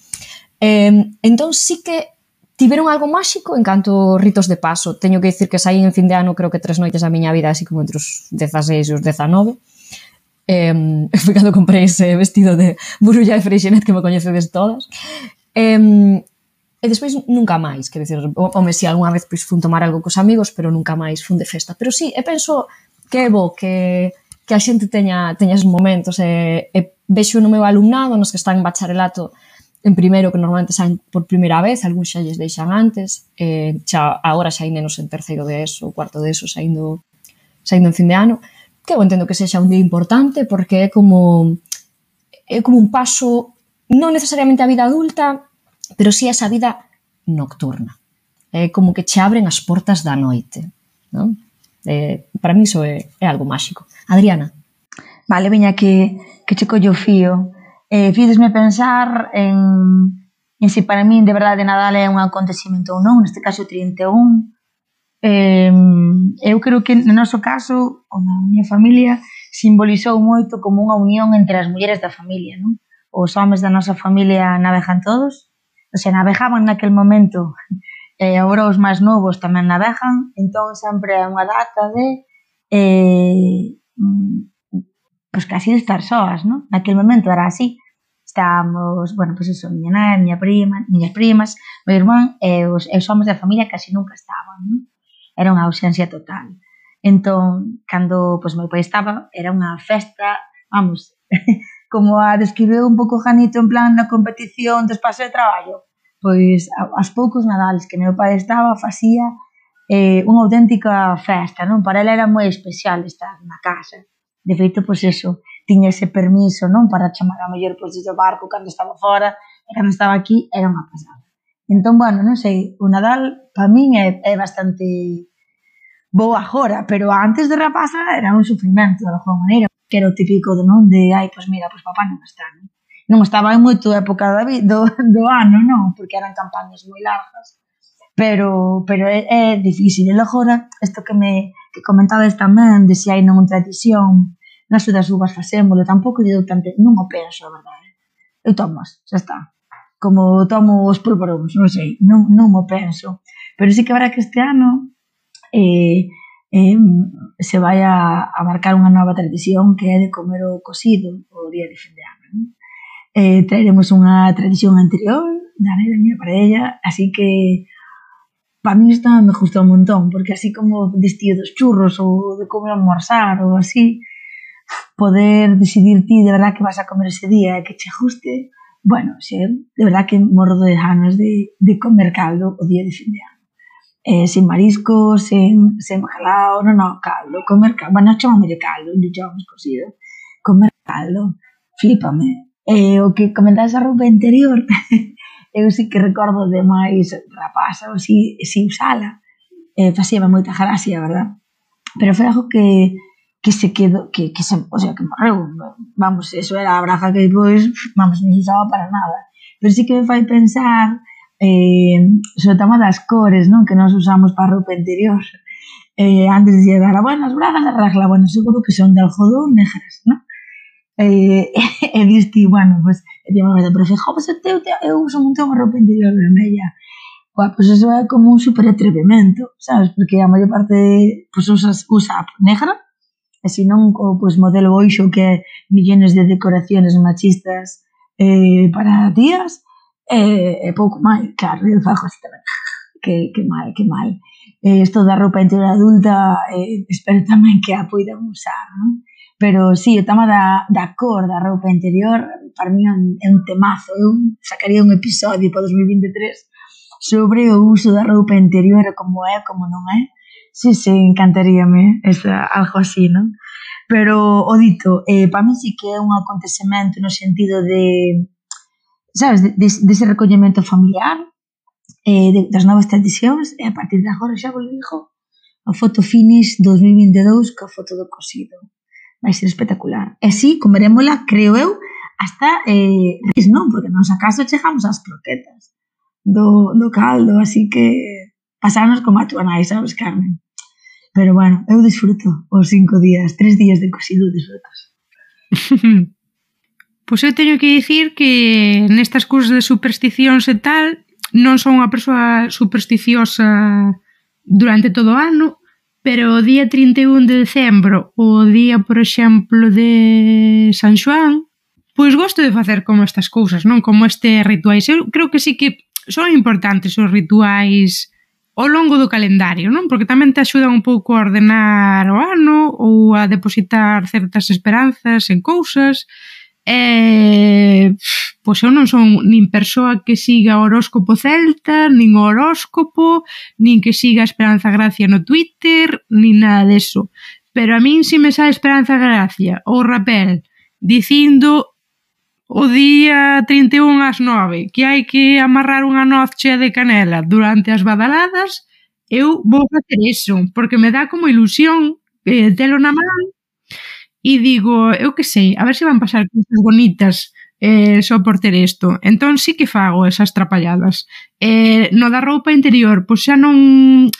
Entón sí que tiveron algo máxico en canto ritos de paso. Teño que dicir que saí en fin de ano creo que 3 noites da miña vida, así como entre os 16 e os 19. Foi cando comprei ese vestido de Burulla de Freixenet que me coñecedes todas. E despois nunca máis, quer dizer, home, si algunha vez pois, fun tomar algo cos amigos, pero nunca máis fun de festa. Pero sí, penso que é bo que a xente teña esos momentos e vexo no meu alumnado, nos que están en bacharelato, en primeiro, que normalmente saen por primeira vez, algúns xa lles deixan antes, agora xa hai nenos en terceiro de ESO, cuarto de ESO, saindo en fin de ano, que eu entendo que sexa un día importante, porque é como un paso, non necesariamente a vida adulta, pero sí esa vida nocturna. É como que che abren as portas da noite, non? Para mí iso é algo máxico. Adriana? Vale, veña que che collo fío. Fídesme pensar en se para min de verdade Nadal é un acontecimento ou non, neste caso 31. Eu creo que no noso caso, ou na miña familia, simbolizou moito como unha unión entre as mulleres da familia, non? Os homes da nosa familia navegan todos, o sea, navegaban naquel momento, e agora os máis novos tamén navegan, entón sempre é unha data de pois casi de estar soas, non? Naquel momento era así. Estábamos, bueno, pois iso, miña nai, miñas primas, meu irmán e os homes da familia casi nunca estaban, non? Era unha ausencia total. Entón, cando pois meu pai estaba, era unha festa, vamos, como a describeu un pouco Janito en plan na competición do espazo de traballo, pois aos poucos Nadales que meu pai estaba, facía unha auténtica festa, non? Para ela era moi especial estar na casa. De feito, pois eso, tiña ese permiso, non? Para chamar a mellor pois do barco cando estaba fora e cando estaba aquí era unha pasada. Entón, bueno, non sei, o Nadal para min é bastante bo agora, pero antes de rapaza era un sufrimento de alguma maneira, que era o típico de non, de ai, pois mira, pois papá non está, non? Non estaba en moito época do ano, non? Porque eran campañas moi largas, pero é difícil. E agora, isto que comentades tamén, de se hai non tradición, nas das uvas facémolo, tampouco lle dou tanto, non o penso, a verdade. Eu tomas, xa está. Como tomo os polvoróns, non sei, non o penso. Pero sí que verá que este ano se vai a marcar unha nova tradición que é de comer o cocido o día de fin de ano, non? Traeremos unha tradición anterior da nai da miña parella, así que para mí isto me gustou un montón, porque así como destío dos churros ou de comer almorzar ou así, poder decidir ti de verdad que vas a comer ese día e que che guste, bueno, xe, de verdad que morro de ganas de comer caldo o día de fin de ano. Sin mariscos, sen bacalao, caldo, comer caldo, bueno, chamame de caldo, non chamamos cocido, comer caldo, flípame. O que comentas a roupa interior, eu sí que recordo de máis rapaza ou así usala, facíame moita gracia, verdad? Pero foi algo que se quedou, o sea, que morreu, vamos, eso era a braga que depois, vamos, non se usaba para nada. Pero sí que me fai pensar sobre o tema das cores, non? Que nós usamos para a roupa interior. Antes de dar, bueno, as bragas de regla, bueno, seguro que son de algodón negras, non? E diste, bueno, pues, pero fijo, pues eu uso un montón a roupa interior vermella. Bueno, pues eso é como un super atrevimento, sabes? Porque a maior parte pues, usa negra, e se non o pues, modelo oixo que é millones de decoraciones machistas para días, e pouco máis, claro, eu fago así tamén, que mal. Isto da roupa interior adulta, espero tamén que a poidan usar, non? Pero sí, o tema da cor da roupa interior para mí é un temazo. Eu sacaría un episodio para 2023 sobre o uso da roupa interior, como é, como non é. Sí, encantaríame algo así, non? Pero, o dito, para mí sí que é un acontecemento no sentido de, sabes, dese recollemento familiar, das novas tradicións, e a partir de agora xa vos digo, a foto finish 2022 ca foto do cocido. Vai ser espectacular. E si, comerémola, creo eu, hasta non, porque nos acaso chegamos ás croquetas do caldo, así que pasarnos como a túa nai, sabes, Carmen? Pero bueno, eu disfruto os 5 días, 3 días de cocido disfrutas. Pois eu teño que dicir que nestas cousas de supersticións e tal, non son unha persoa supersticiosa durante todo o ano, pero o día 31 de decembro, o día, por exemplo, de San Xoán, pois gosto de facer como estas cousas, non? Como este rituais. Eu creo que sí que son importantes os rituais ao longo do calendario, non? Porque tamén te axudan un pouco a ordenar o ano ou a depositar certas esperanzas en cousas. Pois eu non son nin persoa que siga o horóscopo celta, nin o horóscopo, nin que siga a Esperanza Gracia no Twitter, nin nada deso. Pero a min si me sae Esperanza Gracia ou Rapel dicindo o día 31 ás 9 que hai que amarrar unha noz chea de canela durante as badaladas, eu vou facer iso, porque me dá como ilusión telo na man. E digo, eu que sei, a ver se van pasar cousas bonitas só por ter isto. Entón sí que fago esas trapalladas. No da roupa interior, pois xa non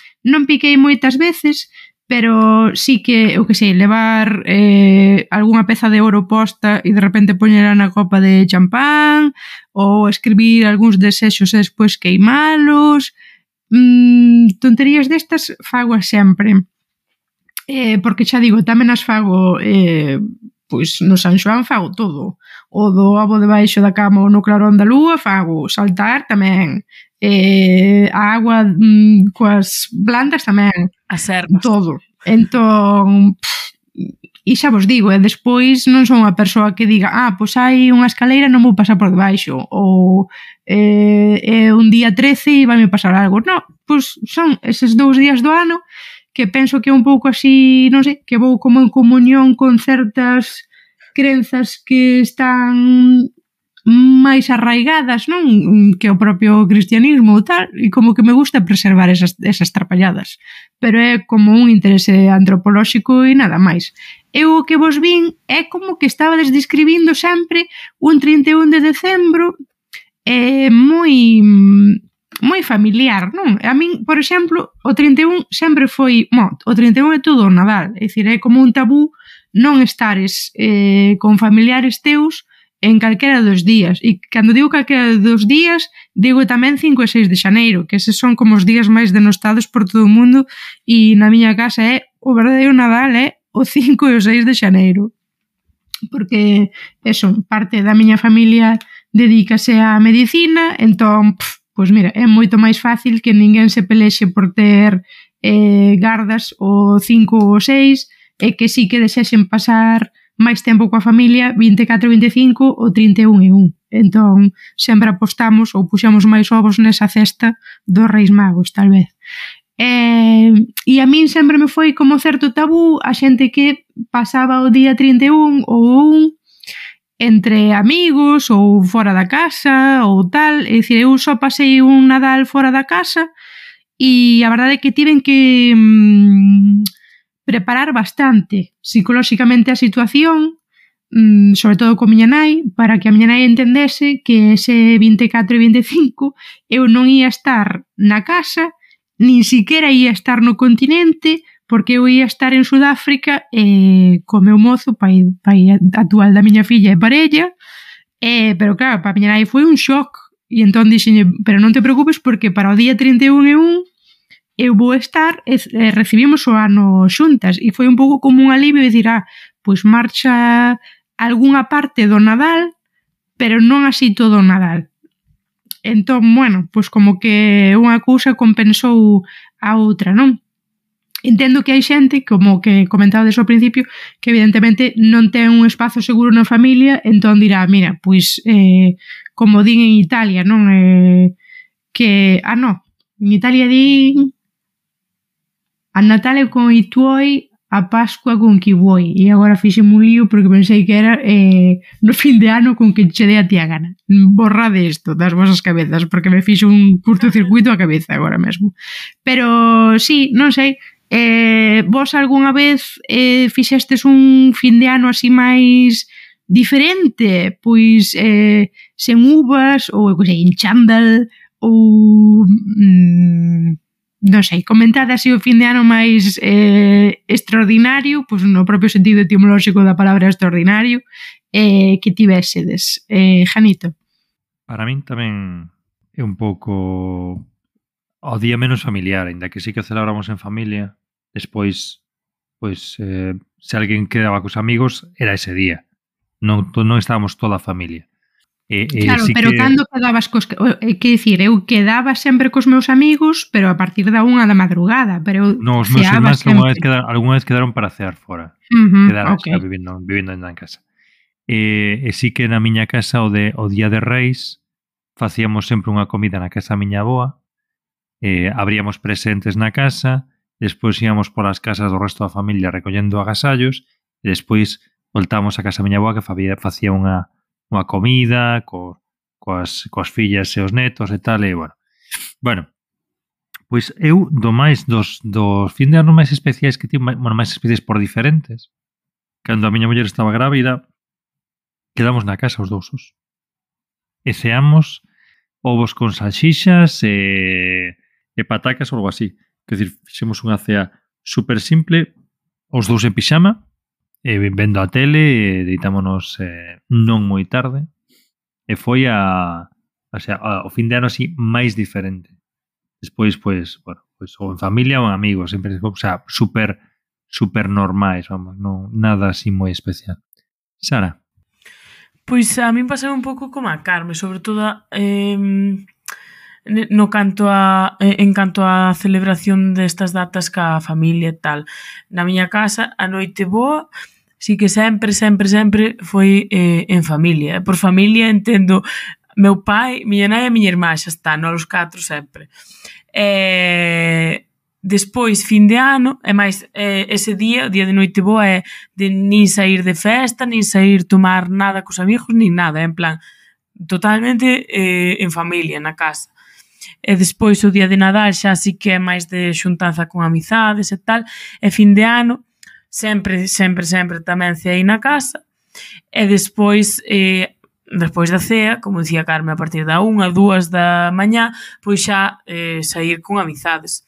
piquei moitas veces, pero sí que, eu que sei, levar algunha peza de ouro posta e de repente poñela na copa de champán, ou escribir algúns desexos e despois queimalos. Tonterías destas fago sempre. Porque xa digo, tamén as fago pois no San Xoán fago todo, o do ovo debaixo da cama ou no clarón da lúa fago, saltar tamén, a agua coas plantas tamén, as ervas, todo. Entón, e xa vos digo, despois non son unha persoa que diga, pois hai unha escaleira, non vou pasar por debaixo, ou é un día 13 e vai me pasar algo. Non, pois son eses 2 días do ano que penso que é un pouco así, non sei, que vou como en comunión con certas crenzas que están máis arraigadas, non? Que o propio cristianismo ou tal, e como que me gusta preservar esas trapalladas. Pero é como un interese antropolóxico e nada máis. Eu o que vos vin é como que estabades describindo sempre un 31 de decembro moi familiar, non? A min, por exemplo, o 31 sempre foi, o 31 é todo o Nadal, é dicir, é como un tabú non estares con familiares teus en calquera dos días. E cando digo calquera dos días, digo tamén 5 e 6 de xaneiro, que eses son como os días máis denostados por todo o mundo, e na miña casa o verdadeiro Nadal é o 5 e o 6 de xaneiro. Porque, eso, parte da miña familia dedícase á medicina, entón, pois mira, é moito máis fácil que ninguén se pelexe por ter gardas o 5 ou o 6, e que sí que desexen pasar máis tempo coa familia 24 e 25 ou 31 e 1. Entón, sempre apostamos ou puxamos máis ovos nesa cesta dos Reis Magos, tal vez. E a min sempre me foi como certo tabú a xente que pasaba o día 31 ou 1 entre amigos ou fora da casa ou tal. É dicir, eu só pasei un Nadal fora da casa e a verdade é que tiven que preparar bastante psicolóxicamente a situación, sobre todo con miña nai, para que a miña nai entendese que ese 24 e 25 eu non ia estar na casa, nin siquiera ia estar no continente, porque eu ia estar en Sudáfrica co meu mozo, pai actual da miña filla e parella, pero claro, para a miña nai foi un shock, e entón dixenlle, pero non te preocupes porque para o día 31 e 1 eu vou estar, recibimos o ano xuntas, e foi un pouco como un alivio de dicir, pois marcha algunha parte do Nadal, pero non así todo o Nadal. Entón, bueno, pois como que unha cousa compensou a outra, non? Entendo que hai xente, como que comentaba desde o principio, que evidentemente non ten un espazo seguro na familia, entón dirá, mira, pois, como din en Italia, non? Que, non, en Italia din a Natale con i tuoi, a Pascua con qui vuoi. E agora fixeme un lío porque pensei que era no fin de ano con que che dé a ti a gana. Borrade isto das vosas cabezas, porque me fixo un curtocircuito a cabeza agora mesmo. Pero, sí, non sei, vos algunha vez fixestes un fin de ano así máis diferente? Pois sen uvas, ou en chándal, ou non sei, comentade así o fin de ano máis extraordinario, pois no propio sentido etimolóxico da palabra extraordinario, que tivésedes. Janito. Para min tamén é un pouco o día menos familiar, ainda que sí que celebramos en familia. Despois, pois, se alguén quedaba cos amigos, era ese día. Non estábamos toda a familia. Claro, sí pero que... cando quedabas cos... Que dicir, eu quedaba sempre cos meus amigos, pero a partir da 1 da madrugada, pero eu os meus irmáns algunha vez quedaron para cear fora. Quedaron okay. vivindo en casa. E sí que na miña casa o día de Reis facíamos sempre unha comida na casa da miña avoa, abríamos presentes na casa, despois íamos polas casas do resto da familia recollendo agasallos, e despois voltábamos a casa da miña avoa que facía unha comida coas fillas e os netos e tal, e bueno, pois eu dos fin de ano máis especiais que tive, máis especiais por diferentes, cando a miña muller estaba grávida, quedamos na casa os dousos e ceamos ovos con salsixas e patacas ou algo así. Quer dizer, fixemos unha cea super simple, os dous en pixama, vendo a tele, deitámonos non moi tarde, e foi o fin de ano así máis diferente. Despois, pois, ou en familia ou en amigos, sempre, super normais, vamos, non nada así moi especial. Sara? Pois a min pasou un pouco como a Carme, sobre todo en canto a celebración destas datas ca familia e tal. Na miña casa, a noite boa, sí que sempre foi en familia. Por familia entendo meu pai, miña nai e miña irmá, xa está, non os 4 sempre. Despois, fin de ano, e máis ese día, o día de noite boa, é de nin sair de festa, nin sair tomar nada cos amigos, nin nada, en plan, totalmente en familia, na casa. E despois o día de Nadal xa sí que é máis de xuntanza con amizades e tal, e fin de ano, sempre tamén ceei na casa, e despois da cea, como dicía Carme, a partir da 1 a 2 da mañá, pois xa sair con amizades.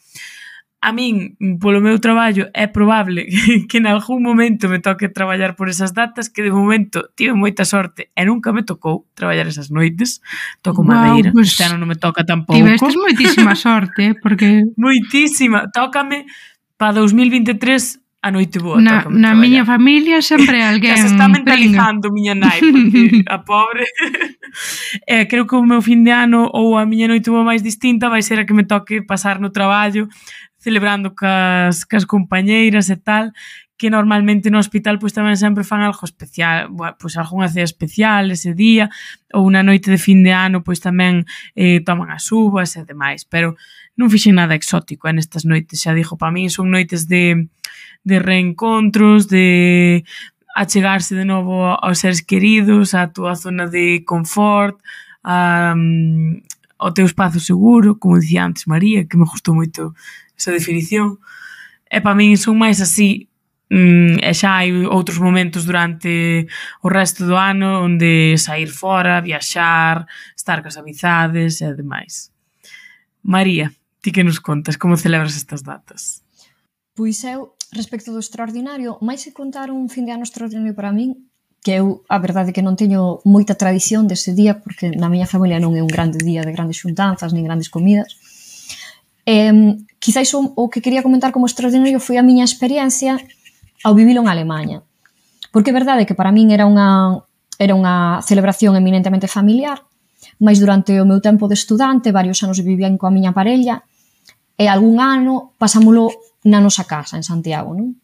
a min, polo meu traballo, é probable que en algún momento me toque traballar por esas datas, que de momento tive moita sorte e nunca me tocou traballar esas noites. Toco madeira, pues, este ano non me toca tampouco. Tivestes moitísima sorte, porque... Moitísima. Tócame para 2023 a noite boa. Na miña familia sempre alguén se está mentalizando miña nai, porque a pobre... creo que o meu fin de ano ou a miña noite boa máis distinta vai ser a que me toque pasar no traballo, celebrando cas compañeiras e tal, que normalmente no hospital pois tamén sempre fan algo especial, pois algunha cea especial ese día, ou unha noite de fin de ano pois tamén toman as uvas e demais, pero non fixen nada exótico nestas noites, xa dixo, para min son noites de reencontros, de achegarse de novo aos seres queridos, á túa zona de confort, ao teu espazo seguro, como dicía antes María, que me gustou moito esa definición. E para min son máis así, e xa hai outros momentos durante o resto do ano onde sair fora, viaxar, estar cas amizades e demais. María, ti que nos contas? Como celebras estas datas? Pois eu, respecto do extraordinario, máis que contar un fin de ano extraordinario para min, que eu, a verdade, que non teño moita tradición dese día, porque na miña familia non é un grande día de grandes xuntanzas, nin grandes comidas. Quizáis o que quería comentar como extraordinario foi a miña experiencia ao vivilo en Alemanha. Porque é verdade que para min era unha celebración eminentemente familiar, mas durante o meu tempo de estudante, varios anos vivía coa miña parella, e algún ano pasámolo na nosa casa, en Santiago, non?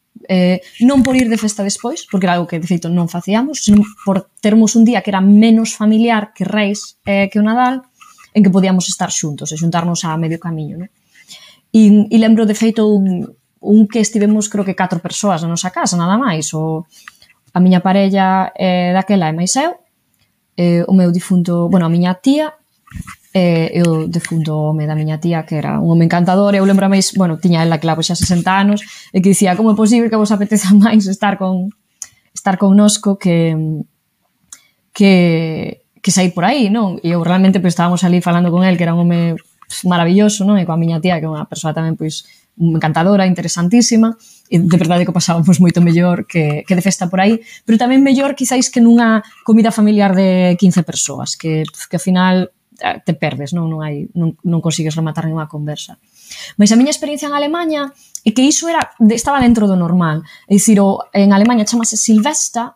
Non por ir de festa despois, porque era algo que de feito non facíamos, senón por termos un día que era menos familiar que Reis que o Nadal, en que podíamos estar xuntos e xuntarnos a medio camiño, non? E lembro de feito un que estivemos creo que 4 persoas na nosa casa, nada máis, a miña parella daquela e máis eu, o meu difunto, bueno, a miña tía e o defunto home da miña tía, que era un home encantador, e eu lembro máis, bueno, tiña ela claro xa 60 anos, e que dicía, como é posible que vos apeteza máis estar connosco que sair por aí, non? E eu realmente pois estábamos ali falando con el, que era un home maravilloso, non? E coa miña tía, que é unha persoa tamén pois encantadora, interesantísima, e de verdade que pasábamos moito mellor que de festa por aí, pero tamén mellor quizáis que nunha comida familiar de 15 persoas, que ao final te perdes, non consigues rematar nunha conversa. Mas a miña experiencia en Alemanha é que iso estaba dentro do normal, é dicir, en Alemanha chamase Silvestra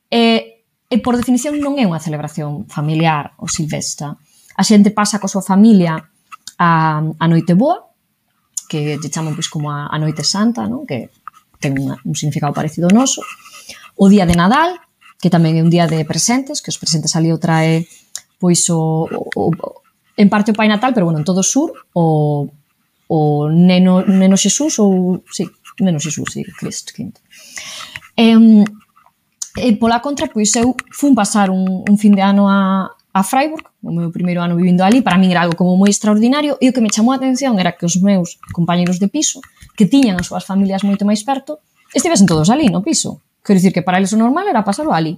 e por definición non é unha celebración familiar o Silvestra. A xente pasa coa súa familia a noite boa, que te chaman pois como a noite santa, non? Que ten un significado parecido ao noso. O día de Nadal, que tamén é un día de presentes, que os presentes ali o trae pois en parte o Pai Natal, pero bueno, en todo o sur, o Neno Xesús, ou sí, Neno Xesús, sí, Cristo quinto. E pola contra, pois eu fun pasar un fin de ano a Freiburg, o meu primeiro ano vivindo ali, para min era algo como moi extraordinario, e o que me chamou a atención era que os meus compañeros de piso, que tiñan as súas familias moito máis perto, estivesen todos ali no piso. Quero dicir que para eles o normal era pasarlo ali.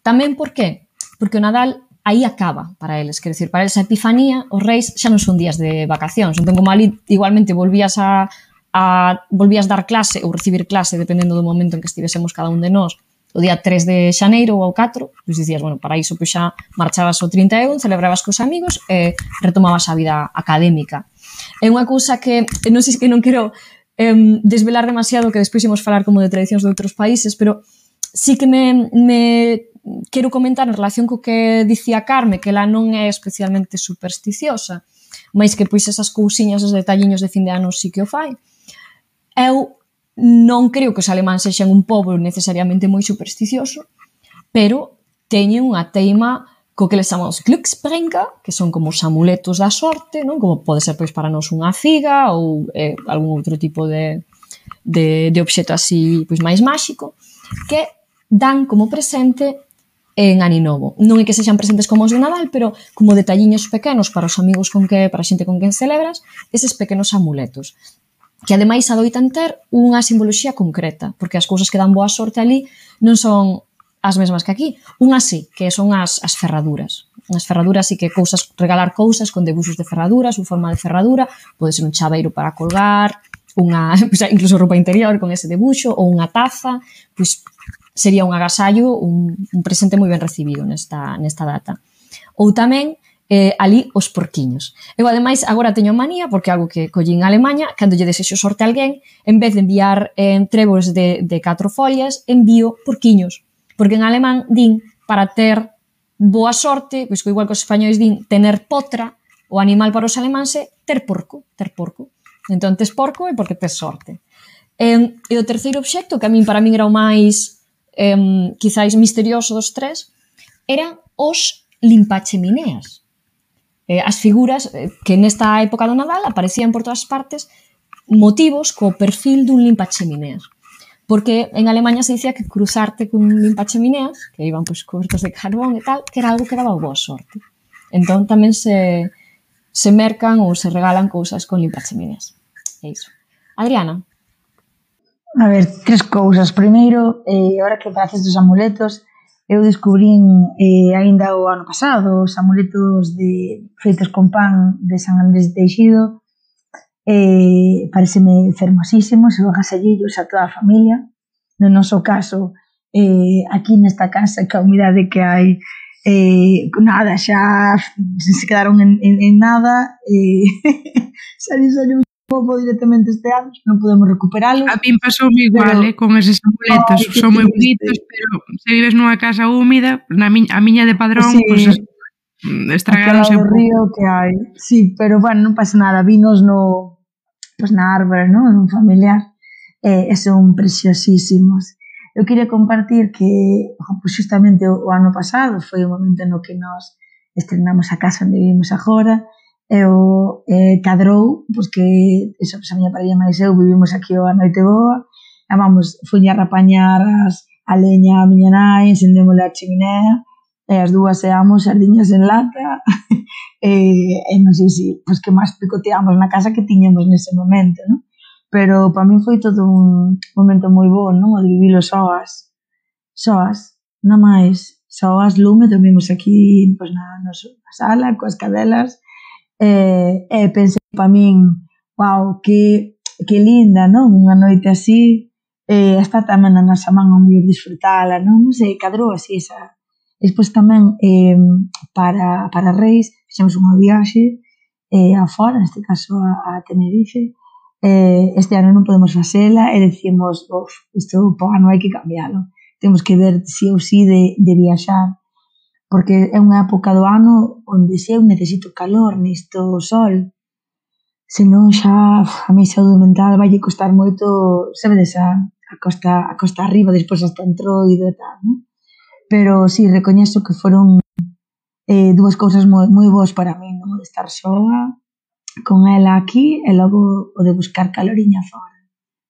Tamén por qué? Porque o Nadal aí acaba para eles, quero dicir, para eles a Epifanía, os Reis xa non son días de vacacións, entón como ali igualmente volvías dar clase ou recibir clase, dependendo do momento en que estivésemos cada un de nós, o día 3 de xaneiro ou 4, pois dicías, bueno, para iso pois xa marchabas o 31, celebrabas cos amigos e retomabas a vida académica. É unha cousa que non sei que non quero desvelar demasiado, que despois imos falar como de tradicións de outros países, pero sí que me quero comentar en relación co que dicía Carme, que ela non é especialmente supersticiosa, mas que pois esas cousiñas, os detalliños de fin de ano sí que o fai. Eu non creo que os alemáns sexan un pobo necesariamente moi supersticioso, pero teñen unha teima co que les chamamos Glücksbringer, que son como os amuletos da sorte, non? Como pode ser pois para nós unha figa ou algún outro tipo de obxeto así pois máis máxico, que dan como presente en Aninovo. Non é que sexan presentes como os de Nadal, pero como detalliños pequenos para os amigos para a xente con quen celebras, eses pequenos amuletos, que ademais adoitan ter unha simboloxía concreta, porque as cousas que dan boa sorte ali non son as mesmas que aquí. Unha sí, que son as ferraduras. As ferraduras sí que regalar cousas con debuxos de ferraduras ou forma de ferradura, pode ser un chaveiro para colgar, incluso roupa interior con ese debuxo, ou unha taza, pois sería un agasallo, un presente moi ben recibido nesta data. Ou tamén ali os porquiños. Eu, ademais, agora teño manía, porque algo que collín en Alemanha, cando lle desexo sorte a alguén, en vez de enviar trébos de 4 follas, envío porquiños. Porque en alemán din, para ter boa sorte, pois que igual que os españois din, tener potra, o animal para os alemáns é ter porco. Entón, tes porco é porque tes sorte. E o terceiro obxecto, que para min era o máis, quizáis, misterioso dos tres, eran os limpachemineas. As figuras que nesta época do Nadal aparecían por todas partes, motivos co perfil dun limpachemineas. Porque en Alemanha se dicía que cruzarte con limpachemineas, que iban pois cobertos de carbón e tal, que era algo que daba boa sorte. Entón tamén se mercan ou se regalan cousas con limpachemineas. É iso. Adriana? A ver, 3 cousas. Primeiro, ahora que faces dos amuletos, eu descubrín aínda o ano pasado os amuletos feitos con pan de San Andrés de Teixido. Pareceme fermosísimos, e agasalleiros a toda a familia. No noso caso, aquí nesta casa, que a humidade que hai, nada, xa se quedaron en nada. Saliu un pouco directamente este ano, non podemos recuperalos. A min pasoume igual, con eses amuletos. Son moi bonitos, pero se vives nunha casa húmida, a miña de Padrón, pues, estragaronse un pouco. Río que hai. Sí, pero bueno, non pasa nada. Vinos na árbore, non? En un familiar. E son preciosísimos. Eu queria compartir que justamente o ano pasado foi o momento no que nos estrenamos a casa onde vivimos agora. Cadrou, pois que a miña parella máis eu vivimos aquí a noite boa, e vamos, fuña a rapañar a leña a miña nai, encendémosle a chiminea, e as dúas seamos sardiñas en lata, e non sei se, pois que máis picoteamos na casa que tiñamos nese momento, non? Pero para min foi todo un momento moi bo, non? O de vivilo soas, non máis, soas, lume, dormimos aquí pois na sala, coas cadelas. Pensei para min, wow, que linda, non? Unha noite así, está tamén na nosa man ao mellor disfrutala, non? Non sei, cadrou así esa. Despois tamén, para Reis, fixemos unha viaxe afora, neste caso a Tenerife. Este ano non podemos facela e decimos, isto po ano hai que cambialo. Temos que ver si ou si de viaxar, porque é unha época do ano onde se eu necesito calor, necesito sol, senón xa a mi saúde mental vai costar moito, sabedes, a costa arriba, despois hasta Entroido e tal, non? Pero si, recoñezo que foron dúas cousas moi boas para mí, non? De estar soa con ela aquí e logo o de buscar caloriña fora.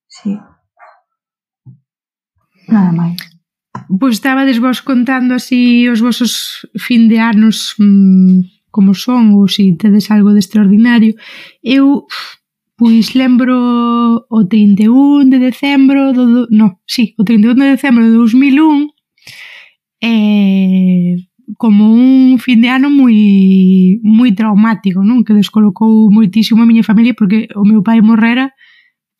Si. Nada máis. Pois estabades vos contando así os vosos fin de anos como son, ou se tedes algo de extraordinario. Eu, pois lembro o 31 de decembro o 31 de decembro de 2001 como un fin de ano moi traumático, non? Que descolocou moitísimo a miña familia, porque o meu pai morrera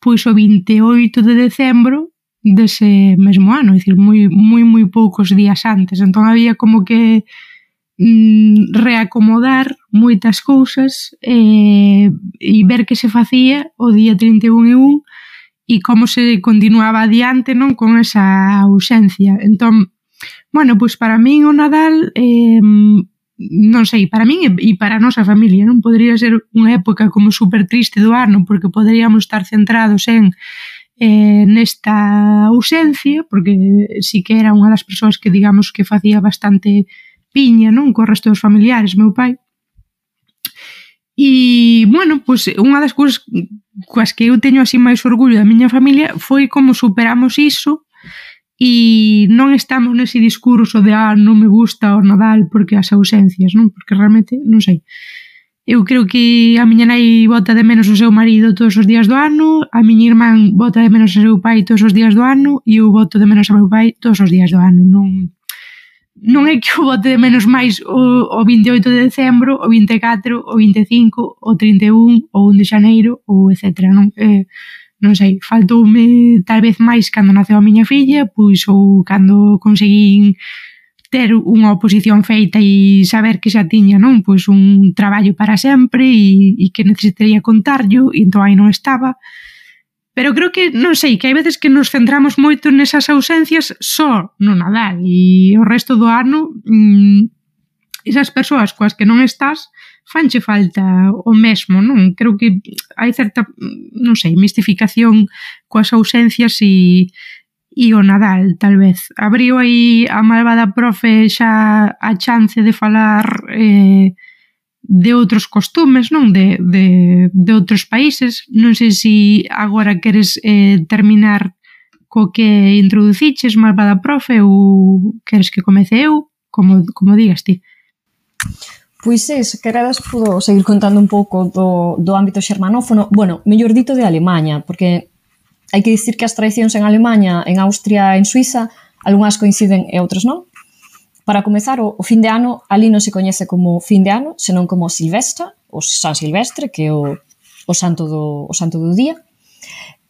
pois o 28 de decembro dese mesmo ano, é dicir, moi poucos días antes. Entón había como que reacomodar moitas cousas e ver que se facía o día 31 e 1 e como se continuaba adiante, non, con esa ausencia. Entón, bueno, pois para min o Nadal non sei, para min e para a nosa familia, non podería ser unha época como super triste do ano, porque poderíamos estar centrados nesta ausencia, porque sí que era unha das persoas que digamos que facía bastante piña, non, co resto dos familiares, meu pai. E, bueno, pois unha das cousas coas que eu teño así máis orgullo da miña familia foi como superamos iso e non estamos nese discurso de non me gusta o Nadal porque as ausencias, non? Porque realmente, non sei, eu creo que a miña nai bota de menos o seu marido todos os días do ano, a miña irmán bota de menos o seu pai todos os días do ano e eu boto de menos o meu pai todos os días do ano. Non é que eu bote de menos máis o 28 de decembro, o 24, o 25, o 31, o 1 de xaneiro, ou etc. non sei, faltoume tal vez máis cando naceu a miña filla, pois ou cando conseguín ter unha oposición feita e saber que xa tiña, non, pois un traballo para sempre e que necesitaría contarllo, e entón aí non estaba. Pero creo que, non sei, que hai veces que nos centramos moito nesas ausencias só no Nadal e o resto do ano esas persoas coas que non estás fanche falta o mesmo, non? Creo que hai certa, non sei, mistificación coas ausencias e o Nadal, tal vez. Abriu aí a malvada profe xa a chance de falar de outros costumes, non? De outros países. Non sei se agora queres terminar co que introduciches, malvada profe, ou queres que comece eu? Como digas ti. Pois se queredes podo seguir contando un pouco do ámbito xermanófono, bueno, mellor dito de Alemanha, porque hai que dicir que as tradicións en Alemanha, en Austria e en Suiza, algunhas coinciden e outras non. Para comezar, o fin de ano ali non se coñece como fin de ano, senón como Silvestre, o San Silvestre, que é o santo do día.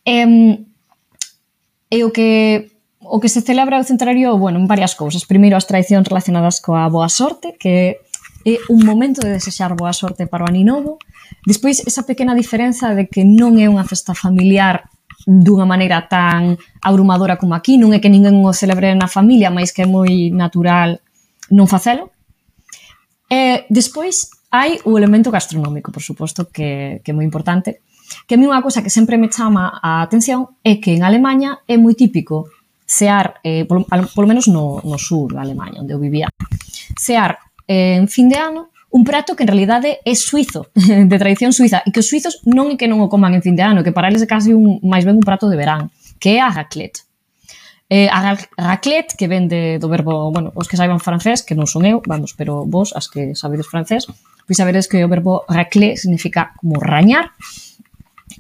E o que se celebra o centenario, bueno, en varias cousas. Primeiro, as tradicións relacionadas coa boa sorte, que é un momento de desexar boa sorte para o ano novo. Despois, esa pequena diferenza de que non é unha festa familiar dunha maneira tan abrumadora como aquí, non é que ninguén o celebre na familia, mas que é moi natural non facelo. E despois hai o elemento gastronómico, por suposto, que é moi importante, que a mí unha cousa que sempre me chama a atención é que en Alemanha é moi típico cear, polo menos no sur da Alemanha, onde eu vivía, cear en fin de ano un prato que en realidade é suizo, de tradición suiza, e que os suizos non é que non o coman en fin de ano, que para eles é casi máis ben un prato de verán, que é a raclette. A raclette, que ven do verbo, bueno, os que saiban francés, que non son eu, vamos, pero vos, as que sabedes francés, pois sabedes que o verbo racler significa como rañar.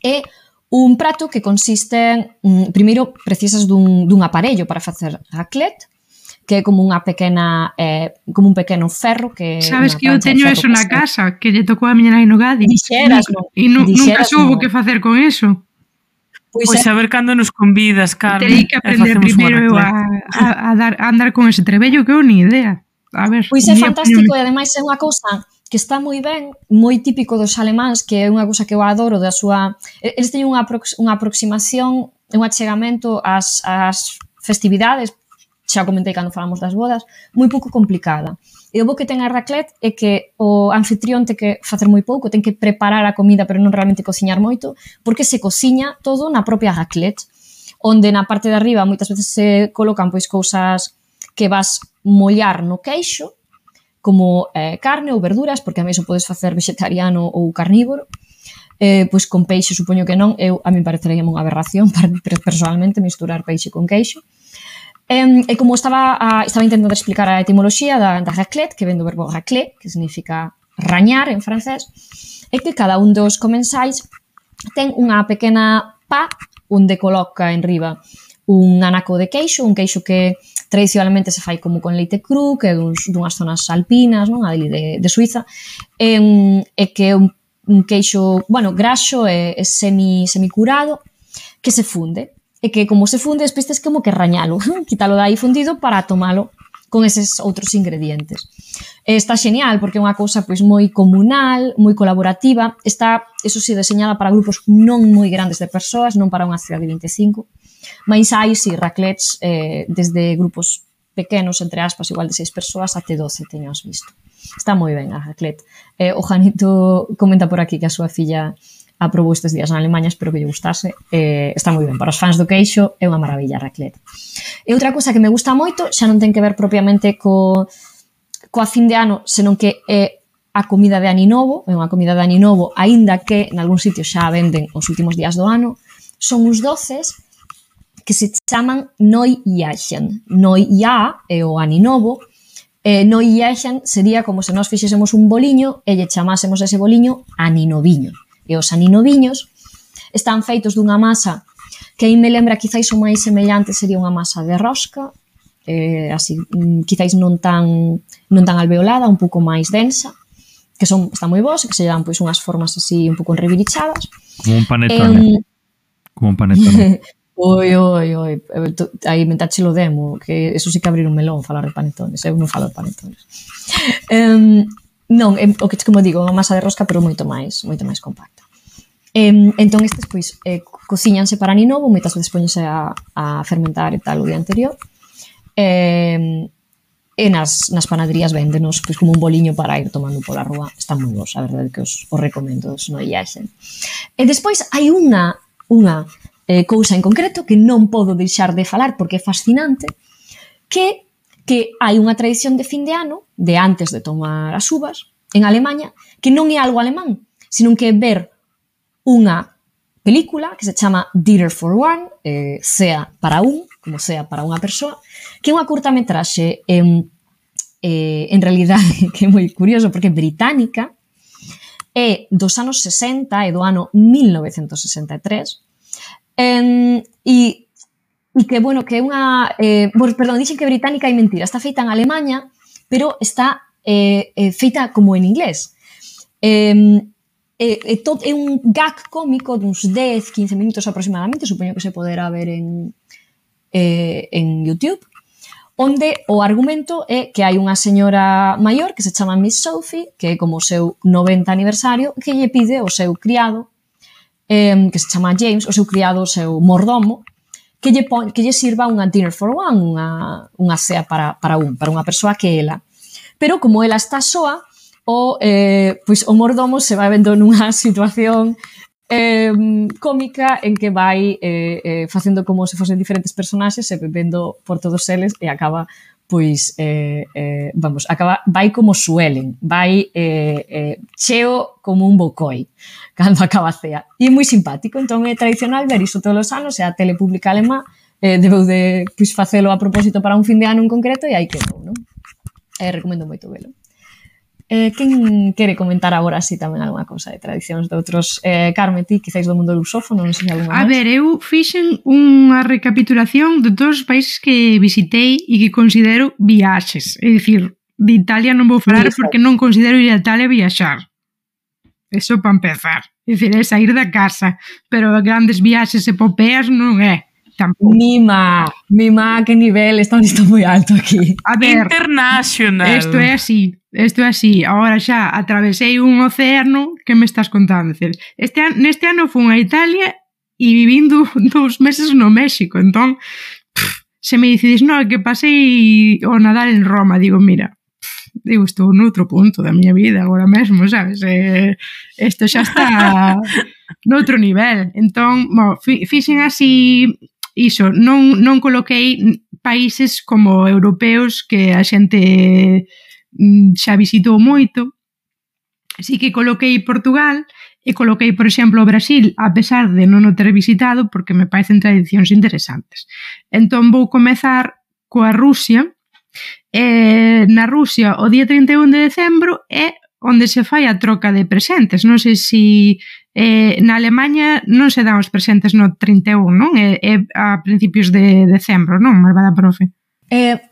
É un prato que consiste primeiro, precisas dun aparello para facer raclette, que é como unha pequena, como un pequeno ferro que... Sabes que eu teño eso na casa, que lle tocou a miña nai no Gadi. Dixeras, non? E nunca soubo que facer con eso. Pois a ver cando nos convidas, Carmen. Terei que aprender primeiro eu a andar con ese trebello que eu ni idea. A ver, pois é fantástico e ademais é unha cousa que está moi ben, moi típico dos alemáns, que é unha cousa que eu adoro da súa... Eles teñen unha aproximación, un achegamento ás festividades, xa comentei cando falamos das bodas, moi pouco complicada. E o bo que ten a raclette é que o anfitrión ten que facer moi pouco, ten que preparar a comida, pero non realmente cociñar moito, porque se cociña todo na propia raclette, onde na parte de arriba moitas veces se colocan pois cousas que vas mollar no queixo, como carne ou verduras, porque a mí iso podes facer vegetariano ou carnívoro, pois con peixe supoño que non, a mí parecería unha aberración personalmente misturar peixe con queixo. E como estaba intentando explicar a etimoloxía da raclette, que ven do verbo racler, que significa rañar en francés, é que cada un dos comensais ten unha pequena pá onde coloca en riba un anaco de queixo, un queixo que tradicionalmente se fai como con leite cru, que é dunhas zonas alpinas, non, ali de Suiza, e que é un queixo, bueno, graxo e semicurado, que se funde. E que como se funde, despois tes como que rañalo, quítalo de aí fundido para tomalo con eses outros ingredientes. Está xenial porque é unha cousa pois moi comunal, moi colaborativa, está, eso sí, deseñada para grupos non moi grandes de persoas, non para unha cidade de 25, mas hai, sí, raclettes desde grupos pequenos, entre aspas, igual de 6 persoas, até 12, teños visto. Está moi ben a raclette. O Janito comenta por aquí que a súa filla aprobou estes días na Alemanha, espero que lle gustase. Está moi ben, para os fans do queixo é unha maravilla a raclette. E outra cousa que me gusta moito, xa non ten que ver propiamente coa fin de ano, senón que é a comida de Ano Novo, é unha comida de Ano Novo, aínda que en algún sitio xa a venden os últimos días do ano, son uns doces que se chaman Neujährchen. Neujahr é o Ano Novo, Neujährchen sería como se nós fixésemos un boliño e lle chamásemos ese boliño aninoviño. E os aninoviños están feitos dunha masa que aí me lembra, quizáis o máis semellante sería unha masa de rosca, así, quizáis non tan alveolada, un pouco máis densa, que están moi boas, que se dan pois unhas formas así un pouco enribirichadas. Como un panetone. como un panetone. Oi, aí mentáchelo demo, que eso sí que abrir un melón falar de panetones, eu non falo de panetones. Non, o que como digo, unha masa de rosca, pero moito máis compacta. Entón estes pois cociñanse para ani novo, moitas veces poñense a fermentar e tal o día anterior. E nas panaderías véndenos pois como un boliño para ir tomando pola rúa. Están moi bons, a verdade que os recomendo, os non iaxen. E despois hai unha cousa en concreto que non podo deixar de falar porque é fascinante, que hai unha tradición de fin de ano, de antes de tomar as uvas, en Alemanha, que non é algo alemán, sino que é ver unha película que se chama Dinner for One, sea para un, como sea para unha persoa, que é unha curtametraxe en realidade que é moi curioso porque é británica, é dos anos 60, é do ano 1963, e que, bueno, que é unha... perdón, dixen que é británica e mentira, está feita en Alemanha, pero está feita como en inglés. É un gag cómico duns 10-15 minutos aproximadamente, supoño que se poderá ver en YouTube, onde o argumento é que hai unha señora maior que se chama Miss Sophie, que é como o seu 90 aniversario, que lle pide ao seu criado, que se chama James, o seu criado, o seu mordomo, que lle sirva unha dinner for one, unha cea para unha persoa que ela. Pero como ela está soa, pois o mordomo se vai vendo nunha situación cómica en que vai facendo como se fosen diferentes personaxes e vendo por todos eles e acaba pois vai como suelen, vai cheo como un bocoi cando acaba a cea. E é moi simpático, entón é tradicional ver iso todos os anos, e a tele pública alemá debeu de facelo a propósito para un fin de ano en concreto e aí quedou, non? Recomendo moito velo. Quen quere comentar agora así tamén algunha cousa de tradicións de outros? Carme, ti, quizáis do mundo lusófono, non sei algunha máis. A ver, eu fixen unha recapitulación de todos os países que visitei e que considero viaxes. É dicir, de Italia non vou falar porque non considero ir a Italia viaxar. Eso para empezar. É dicir, é sair da casa. Pero grandes viaxes epopeas non é. Tampouco. Mima, que nivel, está moi alto aquí. A ver, international. Isto é así. Agora xa atravesei un océano, que me estás contando? Neste ano fun a Italia e vivín 2 meses no México, entón se me dices, no, que pasei o Nadal en Roma, digo, mira, estou noutro punto da miña vida agora mesmo, sabes? Isto xa está noutro nivel. Entón, fixen así iso, non coloquei países como europeos que a xente xa visitou moito. Sí que coloquei Portugal e coloquei, por exemplo, o Brasil, a pesar de non o ter visitado, porque me parecen tradicións interesantes. Entón vou comezar coa Rusia. Na Rusia, o día 31 de decembro é onde se fai a troca de presentes. Non sei se na Alemanha non se dan os presentes no 31, non? É a principios de decembro, non, malvada profe?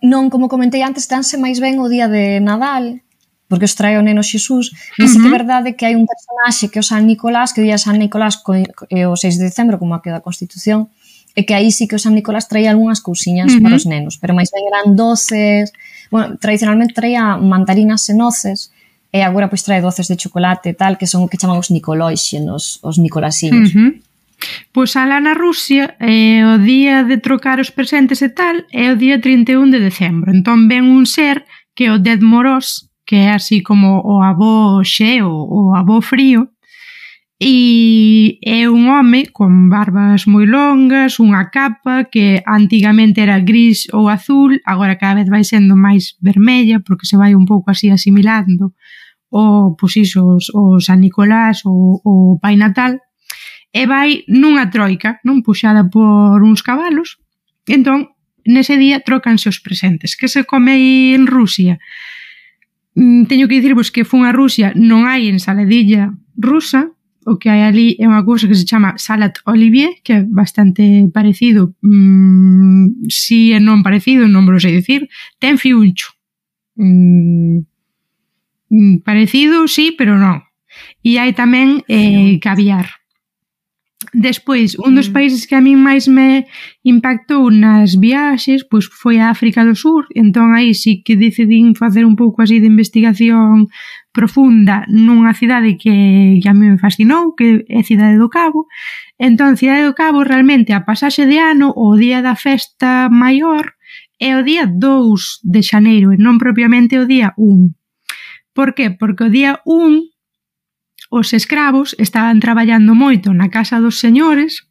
Non, como comentei antes, danse máis ben o día de Nadal, porque os trae o neno Xesús, e sí que é verdade que hai un personaxe que é o San Nicolás, que o día de San Nicolás é o 6 de decembro, como aqui da Constitución, e que aí sí que o San Nicolás traía algunhas cousiñas para os nenos, pero máis ben eran doces, bueno, tradicionalmente traía mandarinas e noces, e agora pois trae doces de chocolate e tal, que son o que chaman os Nicoloixenos, os Nicolasiños. Pois alá na Rusia, o día de trocar os presentes e tal, é o día 31 de decembro. Entón ven un ser que é o Ded Moroz, que é así como o avó xeo, o avó frío, e é un home con barbas moi longas, unha capa que antigamente era gris ou azul, agora cada vez vai sendo máis vermella, porque se vai un pouco así asimilando o, pois iso, o San Nicolás ou o Pai Natal, e vai nunha troika, non, puxada por uns cabalos. Entón, nese día trocanse os presentes. Que se come aí en Rusia? Teño que dicirvos que fun a Rusia, non hai ensaladilla rusa, o que hai ali é unha cousa que se chama salad olivier, que é bastante parecido, si é non parecido, non me lo sei dicir, ten fiuncho. Parecido, sí, pero non. E hai tamén caviar. Despois, un dos países que a min máis me impactou nas viaxes pois foi a África do Sur, entón aí sí que decidín facer un pouco así de investigación profunda nunha cidade que a mí me fascinou, que é Cidade do Cabo. Entón, Cidade do Cabo, realmente, a pasaxe de ano, o día da festa maior, é o día 2 de xaneiro, e non propiamente o día 1. Por que? Porque o día 1 os escravos estaban traballando moito na casa dos señores,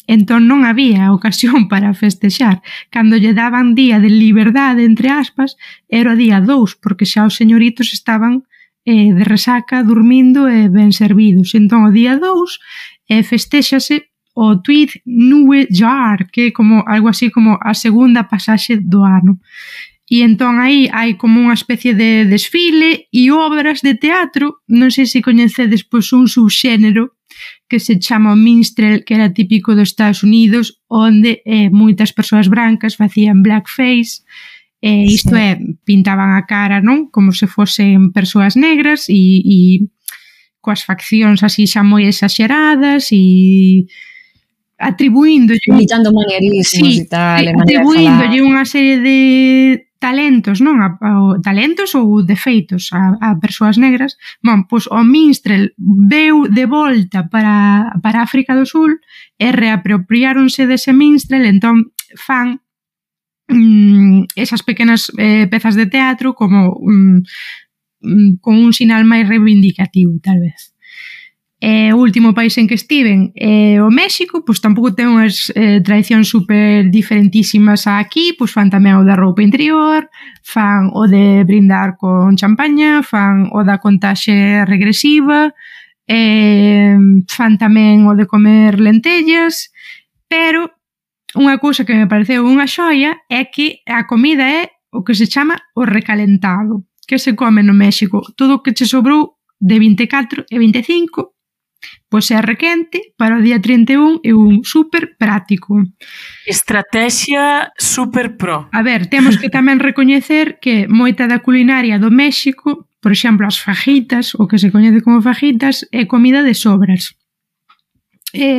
entón non había ocasión para festexar. Cando lle daban día de liberdade, entre aspas, era o día 2, porque xa os señoritos estaban de resaca, dormindo e ben servidos. Entón, o día 2 festéxase o Tweed Nue Jaar, que é como algo así como a segunda pasaxe do ano. E entón aí hai como unha especie de desfile e obras de teatro, non sei se coñecedes pois un subxénero que se chama o minstrel, que era típico dos Estados Unidos, onde moitas persoas brancas facían blackface, isto é, pintaban a cara, non? Como se fosen persoas negras e coas faccións así xa moi exaxeradas e atribuíndolle imitando manierismos e tal, atribuíndolle unha serie de talentos, non? Talentos ou defeitos a persoas negras. Bon, pois o minstrel veu de volta para África do Sul e reapropiáronse dese minstrel, entón fan esas pequenas pezas de teatro como con un sinal máis reivindicativo, tal vez. O último país en que estiven o México, pois tampouco ten unhas tradicións super diferentísimas aquí, pois fan tamén o da roupa interior, fan o de brindar con champaña, fan o da contaxe regresiva, fan tamén o de comer lentellas, pero unha cousa que me pareceu unha xoia é que a comida é o que se chama o recalentado, que se come no México. Todo o que che sobrou de 24 e 25 pois é requente para o día 31 e un super práctico. Estrategia super pro. A ver, temos que tamén recoñecer que moita da culinaria do México, por exemplo, as fajitas, o que se coñece como fajitas, é comida de sobras.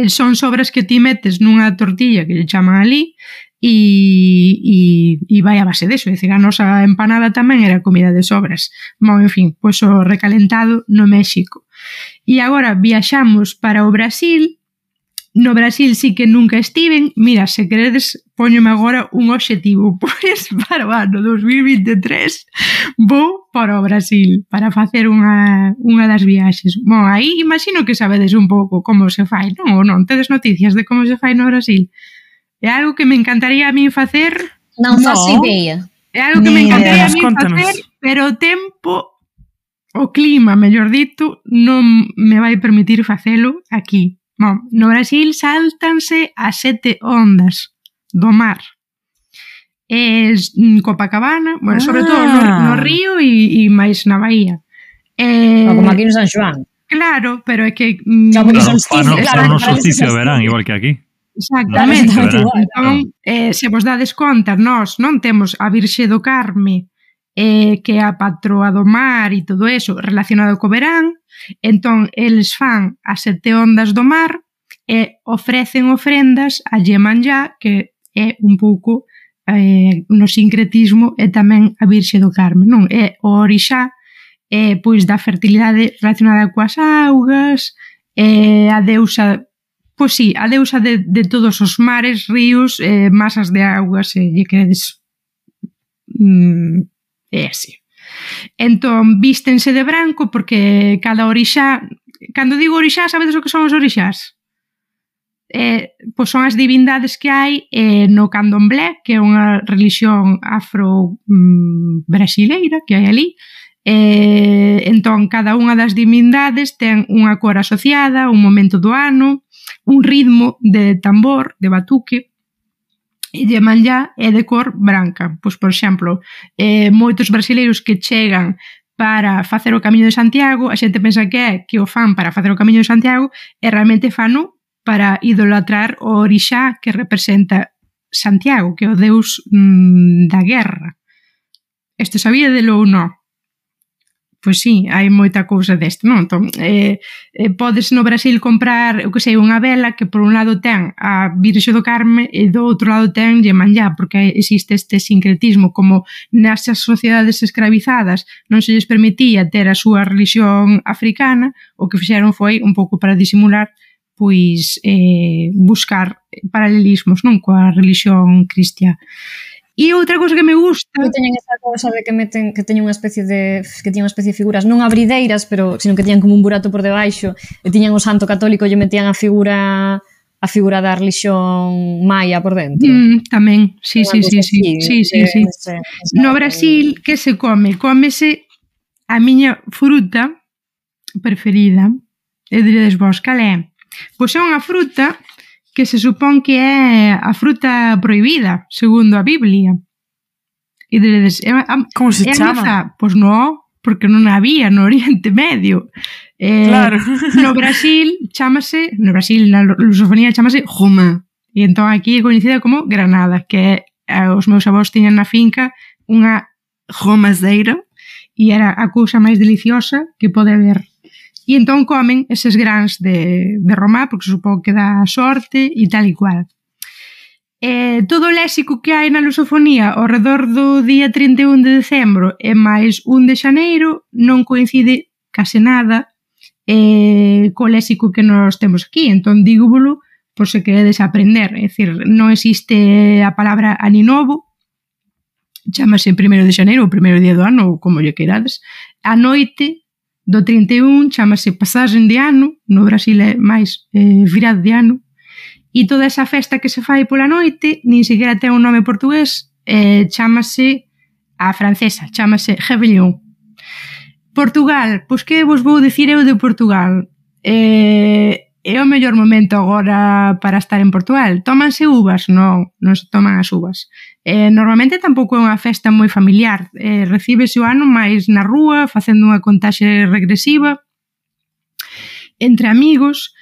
Son sobras que ti metes nunha tortilla que lle chaman ali e vai a base deso, é dicir, a nosa empanada tamén era comida de sobras. Bon, en fin, pois o recalentado no México. E agora viaxamos para o Brasil. No Brasil sí que nunca estiven. Mira, se queredes, póñome agora un obxectivo. Pois para o ano 2023 vou para o Brasil para facer unha das viaxes. Bon, aí imagino que sabedes un pouco como se fai, non? Ou non? Tedes noticias de como se fai no Brasil? É algo que me encantaría a mí facer. Non faço idea. É algo que me encantaría a mí facer, pero o tempo, o clima, mellor dito, non me vai permitir facelo aquí. Bon, no Brasil sáltanse as 7 ondas do mar. Copacabana, bueno, sobre todo no río e máis na Bahía. Como aquí no San Xoán. Claro, pero é que... Claro, no solsticio de verán, igual que aquí. Exactamente. Entón, se vos dades conta, nós non temos a Virxe do Carme, que é a patroa do mar e todo eso relacionado co verán, entón eles fan as 7 ondas do mar e ofrecen ofrendas a Iemanjá, que é un pouco no sincretismo e tamén a Virxe do Carme, non? É o orixá pois da fertilidade relacionada coas augas, a deusa, pois sí, a deusa de todos os mares, ríos, masas de augas, se lle queredes é así. Entón, vístense de branco porque cada orixá, cando digo orixá, sabedes o que son os orixás? Pois son as divindades que hai no candomblé, que é unha religión afro-brasileira que hai ali. Entón, cada unha das divindades ten unha cor asociada, un momento do ano, un ritmo de tambor, de batuque, e Iemanjá é de cor branca. Pois, por exemplo, moitos brasileiros que chegan para facer o Camiño de Santiago, a xente pensa que o fan para facer o Camiño de Santiago e realmente fano para idolatrar o orixá que representa Santiago, que é o deus da guerra. Isto sabíadelo ou non? pois sí, hai moita cousa deste, non? Entón, podes no Brasil comprar, eu que sei, unha vela que por un lado ten a Virxe do Carme e do outro lado ten Iemanjá, porque existe este sincretismo, como nesas sociedades escravizadas non se lles permitía ter a súa religión africana, o que fixeron foi un pouco para disimular, pois buscar paralelismos, non, coa religión cristiá. E outra cousa que me gusta... Que teñen esa cousa de que teñen unha especie de figuras non abrideiras, pero sino que tiñan como un burato por debaixo, e tiñan o santo católico e lle metían a figura da religión maia por dentro. Tamén, sí. No Brasil, que se come? Cómese a miña fruta preferida, e diredes vos, cal é? Pois é unha fruta que se supón que é a fruta prohibida, segundo a Biblia. E diredes, como se chama? Pois non, porque non había no Oriente Medio. Claro. No Brasil, na lusofonía chamase Roma. E entón aquí é coñecida como Granada, que os meus avós tiñan na finca unha romazeira e era a cousa máis deliciosa que pode haber. E entón comen eses grans de romá, porque supón que dá sorte e tal e cual. Todo o léxico que hai na lusofonía ao redor do día 31 de decembro e máis 1 de xaneiro non coincide case nada co léxico que nos temos aquí. Entón dígovolo por se queredes aprender. É dicir, non existe a palabra aninovo, chamase 1 de xaneiro, o primeiro día do ano, ou como lle queirades. A noite do 31 chamase pasaxen de ano, no Brasil é máis virado de ano, e toda esa festa que se fai pola noite nin sequera ten un nome portugués, chamase a francesa, chamase Réveillon. Portugal, pois que vos vou dicir eu de Portugal? É o mellor momento agora para estar en Portugal. Tómanse uvas? Non se toman as uvas. Normalmente tampouco é unha festa moi familiar. Recíbese o ano máis na rúa, facendo unha contaxe regresiva entre amigos.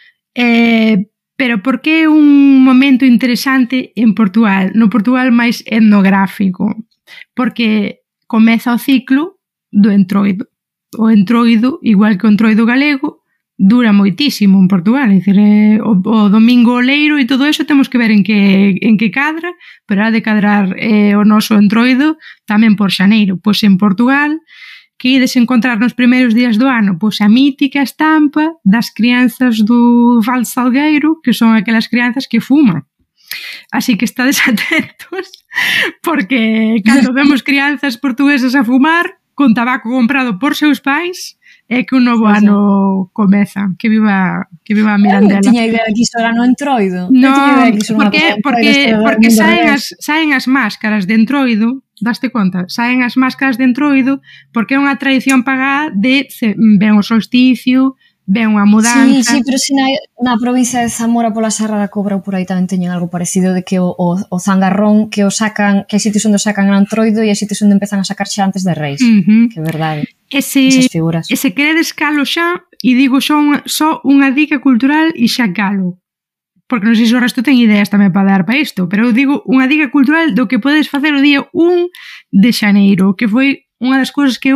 Pero por que é un momento interesante en Portugal? No Portugal máis etnográfico. Porque comeza o ciclo do entroido. O entroido, igual que o entroido galego, dura moitísimo en Portugal, é dicir, o domingo oleiro e todo eso temos que ver en que cadra, pero ha de cadrar o noso entroido tamén por xaneiro. Pois en Portugal, que ides encontrar nos primeiros días do ano? Pois a mítica estampa das crianzas do Val Salgueiro, que son aquelas crianzas que fuman. Así que estades atentos, porque cando vemos crianzas portuguesas a fumar, con tabaco comprado por seus pais, é que un novo ano comeza. Que viva a Mirandela. Eu tiña idea que iso era no entroido. Non, porque saen as máscaras de entroido, daste conta? Saen as máscaras de entroido porque é unha tradición pagá de ven o solsticio, ven unha mudanza. Sí, pero si na provincia de Zamora pola Serra da Cobra ou por aí tamén teñen algo parecido de que o zangarrón que o sacan, que hai sitios onde o sacan en entroido e hai sitios onde empezan a sacar xa antes de Reis. Que é verdade. Esas figuras. E se queredes calo xa, e digo só unha dica cultural e xa calo. Porque non sei se o resto ten ideas tamén para dar para isto, pero eu digo unha dica cultural do que podes facer o día 1 de xaneiro, que foi unha das cousas que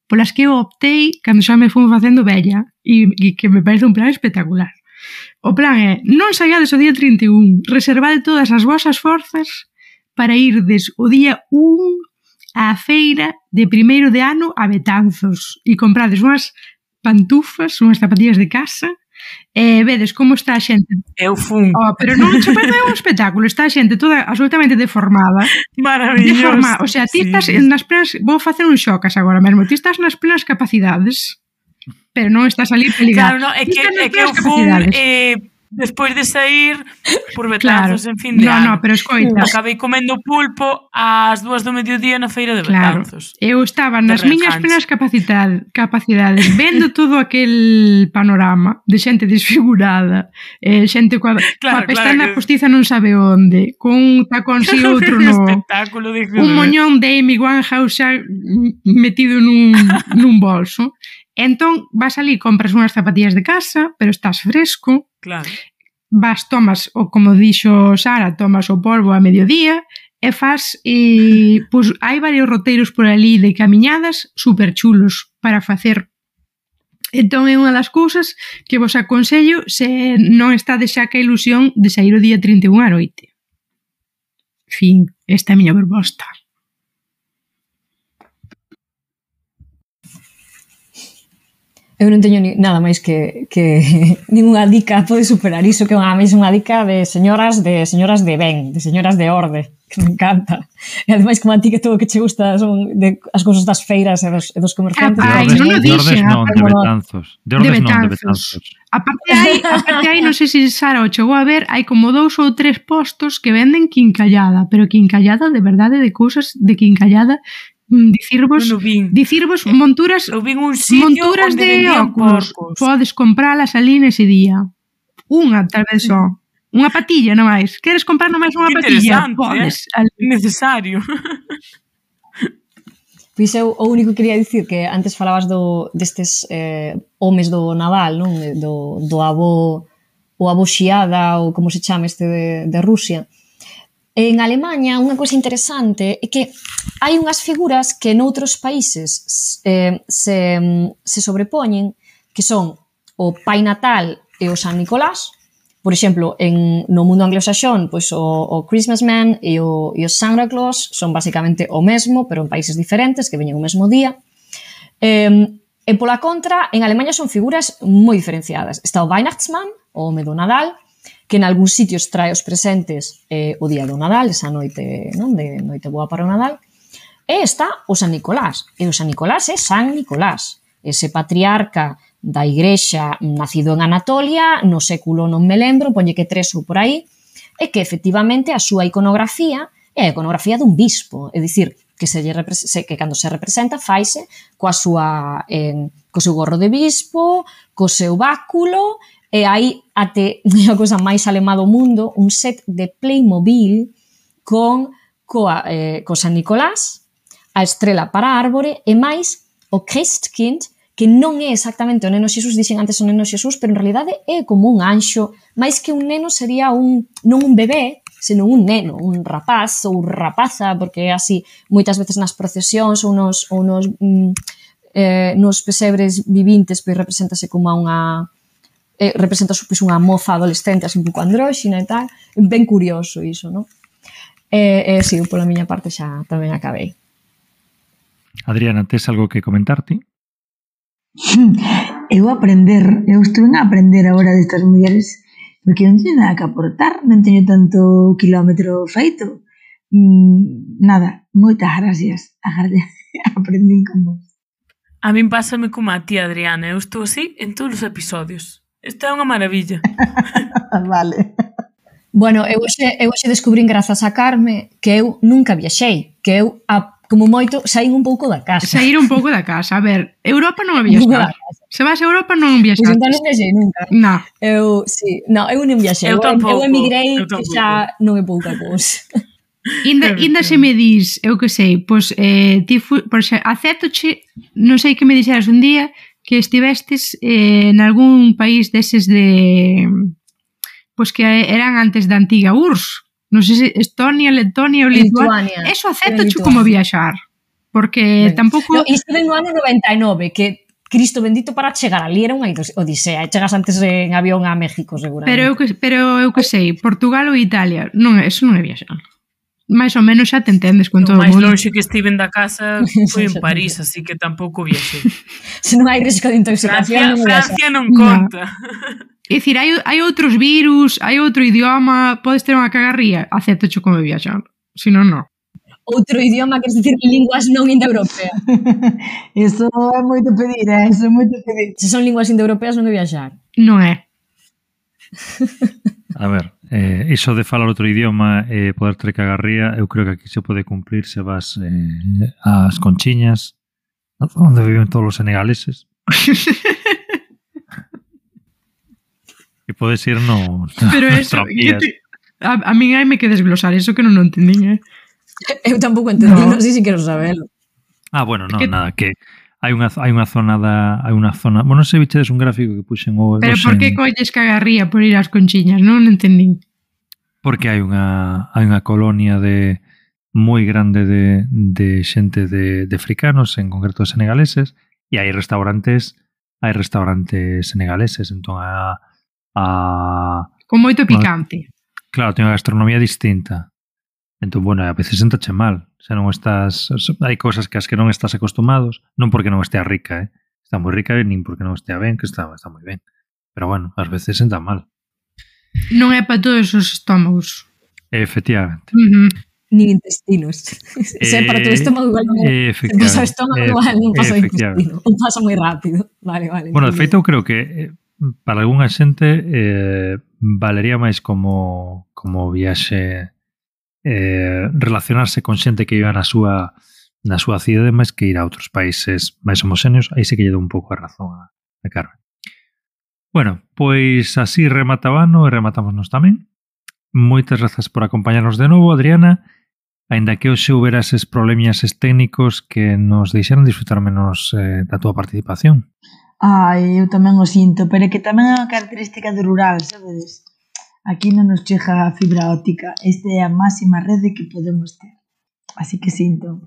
polas que eu optei cando xa me fui facendo vella e que me parece un plan espectacular. O plan é, non saiades o día 31, reservade todas as vosas forzas para irdes o día 1 á feira de primeiro de ano a Betanzos e comprades unhas pantufas, unhas zapatillas de casa e vedes como está a xente. Eu fun. Pero non se parece un espectáculo, está a xente toda absolutamente deformada. Maravilloso. O sea, ti estás nas plenas, vou facer un xocas agora mesmo, ti estás nas plenas capacidades, pero non estás ali peligado. Claro, no, é que eu fun despois de sair por Betanzos en fin de ano. No, pero escoita. Acabei comendo pulpo ás 2 do mediodía na feira de Betanzos. Eu estaba nas miñas plenas capacidades, vendo todo aquel panorama de xente desfigurada, xente coa pestana postiza non sabe onde, con un tacón si outro no. Un moñón de Amy Winehouse xa metido nun bolso. Entón, vas ali, compras unhas zapatillas de casa, pero estás fresco. Claro. Tomas, ou como dixo Sara, tomas o polvo a mediodía e faz pois hai varios roteiros por ali de camiñadas super chulos para facer. Entón é unha das cousas que vos aconsello se non estades xa ca ilusión de sair o día 31 á noite. Fin, esta é a miña proposta. Eu non teño nada máis que ninguna dica pode superar iso, que é unha dica de señoras de ben, de señoras de orde, que me encanta. E ademais, como a ti que todo o que che gusta son as cousas das feiras e dos comerciantes. De ordes non, de Betanzos. De Betanzos. Aparte hai, non sei se Sara o chegou a ver, hai como 2 ou 3 postos que venden quincallada, pero quincallada de verdade, de cousas de quincallada. Dicirvos monturas de óculos. Podes compralas ali nese día. Unha, tal vez só. Unha patilla, non máis. Queres comprar non máis unha patilla? Podes. Necesario. Pois eu o único que quería dicir que antes falabas destes homes do Nadal, non? Do avó o avó Xiada ou como se chama este de Rusia. En Alemanha, unha cousa interesante é que hai unhas figuras que noutros países se sobrepoñen, que son o Pai Natal e o San Nicolás. Por exemplo, no mundo anglosaxón, pois o Christmas Man e o Santa Claus son basicamente o mesmo, pero en países diferentes, que veñen o mesmo día. E pola contra, en Alemanha son figuras moi diferenciadas. Está o Weihnachtsmann, o home do Nadal, que en algúns sitios trae os presentes o día do Nadal, esa noite, non, de noite boa para o Nadal, e está o San Nicolás. E o San Nicolás é San Nicolás, ese patriarca da Igrexa nacido en Anatolia, no século non me lembro, poñe que 3 ou por aí, e que efectivamente a súa iconografía é a iconografía dun bispo, é dicir, que cando se representa faise co seu gorro de bispo, co seu báculo. E hai até a cousa máis alemá do mundo, un set de Playmobil co San Nicolás, a estrela para a árbore e máis o Christkind, que non é exactamente o neno Xesús, dixen antes o neno Xesús, pero en realidade é como un anxo, máis que un neno sería non un bebé, senón un neno, un rapaz ou rapaza, porque é así moitas veces nas procesións ou nos pesebres vivintes, pois represéntase como representa pois, unha moza adolescente así un pouco andróxina e tal, ben curioso iso, non? Si, pola miña parte xa tamén acabei. Adriana, tes algo que comentarte? Eu estuve a aprender agora destas mulleres, porque non teño nada que aportar, non teño tanto quilómetro feito. Nada, moitas gracias. Aprendín con vos. A min pásame como a ti, Adriana, eu estou así en todos os episodios. Esta é unha maravilla. Vale. Bueno, eu hoxe descubrín grazas a Carme que eu nunca viaxei, que eu como moito saín un pouco da casa. Saír un pouco da casa. A ver, Europa non a viaxar. Se vas a Europa non viaxar. Pois entón non viaxei nunca. Non. Eu non viaxei. Eu tampouco. Eu emigrei, que xa non é pouca cousa. Inda se me dis, eu que sei, pois ti acéptoche, non sei que me dixeras un día que estivestes en algún país deses de pois que eran antes da antiga URSS, non sei se Estonia, Letonia ou Lituania. Eso acéptoche como viaxar, porque tampouco... Estive no ano 99, que Cristo bendito para chegar ali era unha odisea, chegas antes en avión a México seguramente. Pero eu que sei, Portugal ou Italia, non, eso non é viaxar. Mais ou menos xa te entendes con todo o mundo. O máis lonxe que estiven da casa foi en París, así que tampouco viaxei. Se non hai risco de intoxicación, Francia non conta. É dicir, hai outros virus, hai outro idioma, podes ter unha cagarría, aceptocho como viaxar, se non, non. Outro idioma, queres dicir linguas non indoeuropeas. Eso é moito pedir, eso é moito pedir. Se son linguas indoeuropeas non é viaxar. Non é. A ver, iso de falar outro idioma e poder ter cagarría, eu creo que aquí se pode cumplir se vas ás Conchiñas, onde viven todos os senegaleses. E podes ir nos tramvías. A min hai me que desglosar eso que non entendín, Eu tampouco entendí, non sei se quero sabelo. Bueno, non, nada, que hai unha zona, bueno, non sei, bichedes un gráfico que puxen o... Pero por que colles cagarría por ir ás Conchiñas? Non entendín. Porque hai unha colonia de moi grande de xente de africanos, en concreto de senegaleses, e hai restaurantes senegaleses, entón Con moito picante. Claro, ten unha gastronomía distinta. Entón, bueno, a veces sentache mal. Se non estás... Hai cousas que as que non estás acostumados, non porque non estea rica, Está moi rica, nin porque non estea ben, que está moi ben. Pero, bueno, ás veces senta mal. Non é para todos os estómagos. Efectivamente. Nin intestinos. Se é para todo o estómago, igual non é. Se pasa o estómago, igual non pasa o intestino. Non pasa moi rápido. Vale. Bueno, de feito, eu creo que para algunha xente valería máis como viaxe relacionarse con xente que viva na súa cidade máis que ir a outros países máis homogéneos. Aí sí que lle dou un pouco a razón a Carmen. Bueno, pois así remataba ano e rematámonos tamén. Moitas grazas por acompañarnos de novo, Adriana. Aínda que hoxe houbera eses problemias técnicos que nos deixaron disfrutar menos da túa participación. Eu tamén o sinto, pero é que tamén é unha característica do rural, sabedes? Aquí non nos chega a fibra óptica. Esta é a máxima rede que podemos ter. Así que sinto.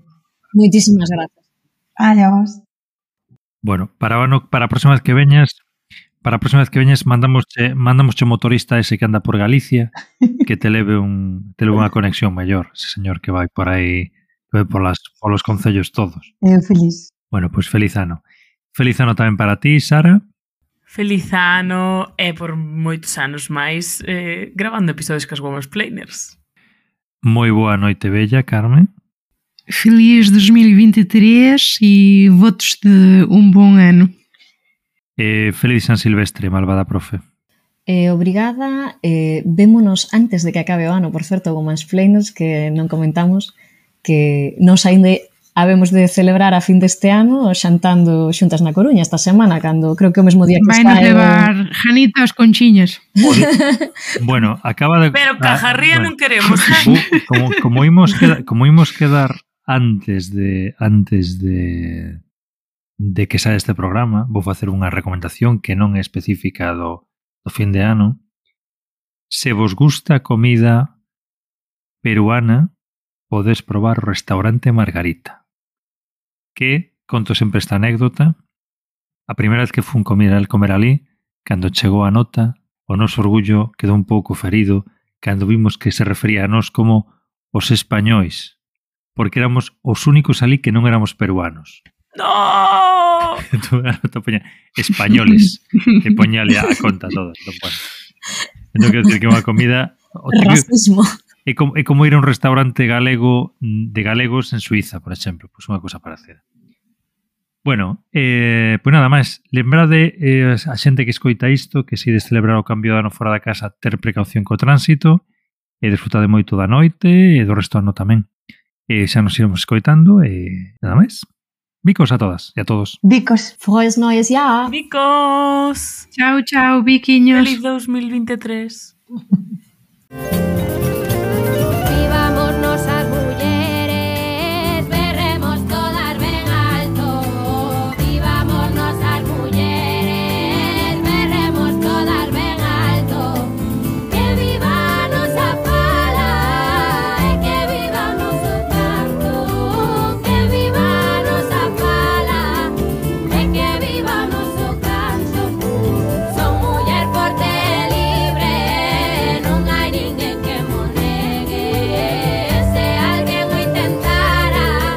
Moitísimas grazas. A vos. Bueno, para a próxima vez que veñas, mandamosche o motorista ese que anda por Galicia que te leve unha conexión maior, ese señor que vai por aí, que vai polos concellos todos. Eu feliz. Bueno, pois feliz ano. Feliz ano tamén para ti, Sara. Feliz ano e por moitos anos máis gravando episodios cas Womansplainers. Moi boa noite, bella, Carmen. Feliz 2023 e votos de un bon ano. Feliz San Silvestre, malvada profe. Obrigada. Vémonos antes de que acabe o ano, por certo, Womansplainers, que non comentamos que nos aínda habemos de celebrar a fin deste ano xantando xuntas na Coruña esta semana, cando creo que o mesmo día que vai nos levar Janitas con chiñas. Bueno, acaba de... Pero cajarría non queremos. Como imos quedar antes de que saia este programa, vou facer unha recomendación que non é específica do fin de ano. Se vos gusta a comida peruana, podes probar o restaurante Margarita, que, conto sempre esta anécdota, a primeira vez que fun comer ali, cando chegou a nota, o noso orgullo quedou un pouco ferido cando vimos que se refería a nós como os españois, porque éramos os únicos ali que non éramos peruanos. No! Entón a nota poña españoles e poñale a conta todas. Entón quero dicir que unha comida... Racismo. É como ir a un restaurante galego de galegos en Suiza, por exemplo, pois unha cousa parecida. Bueno, pois nada máis, lembrade a xente que escoita isto que se ides celebrar o cambio de ano fora da casa, ter precaución co tránsito e desfrutade moito da noite e do resto do ano tamén. Xa nos iremos escoitando e nada máis. Bicos a todas e a todos. Bicos. Frohes Neues Jahr. Bicos. Chao, biquiños. Feliz 2023. Vivámonos as mulleres, berremos todas ben alto. Vivámonos as mulleres, berremos todas ben alto. Que viva a nosa fala e que viva o noso canto. Que viva a nosa fala e que viva o noso canto. Son muller forte e libre, non hai ninguén que mo negue. Se alguén o intentara,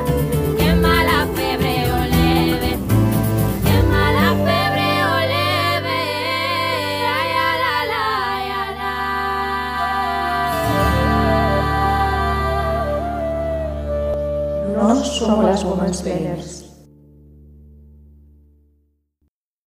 que mala febre o leve. Que mala febre o leve. Ai, ala, la, ai, ala. Nós somos las Womansplainers.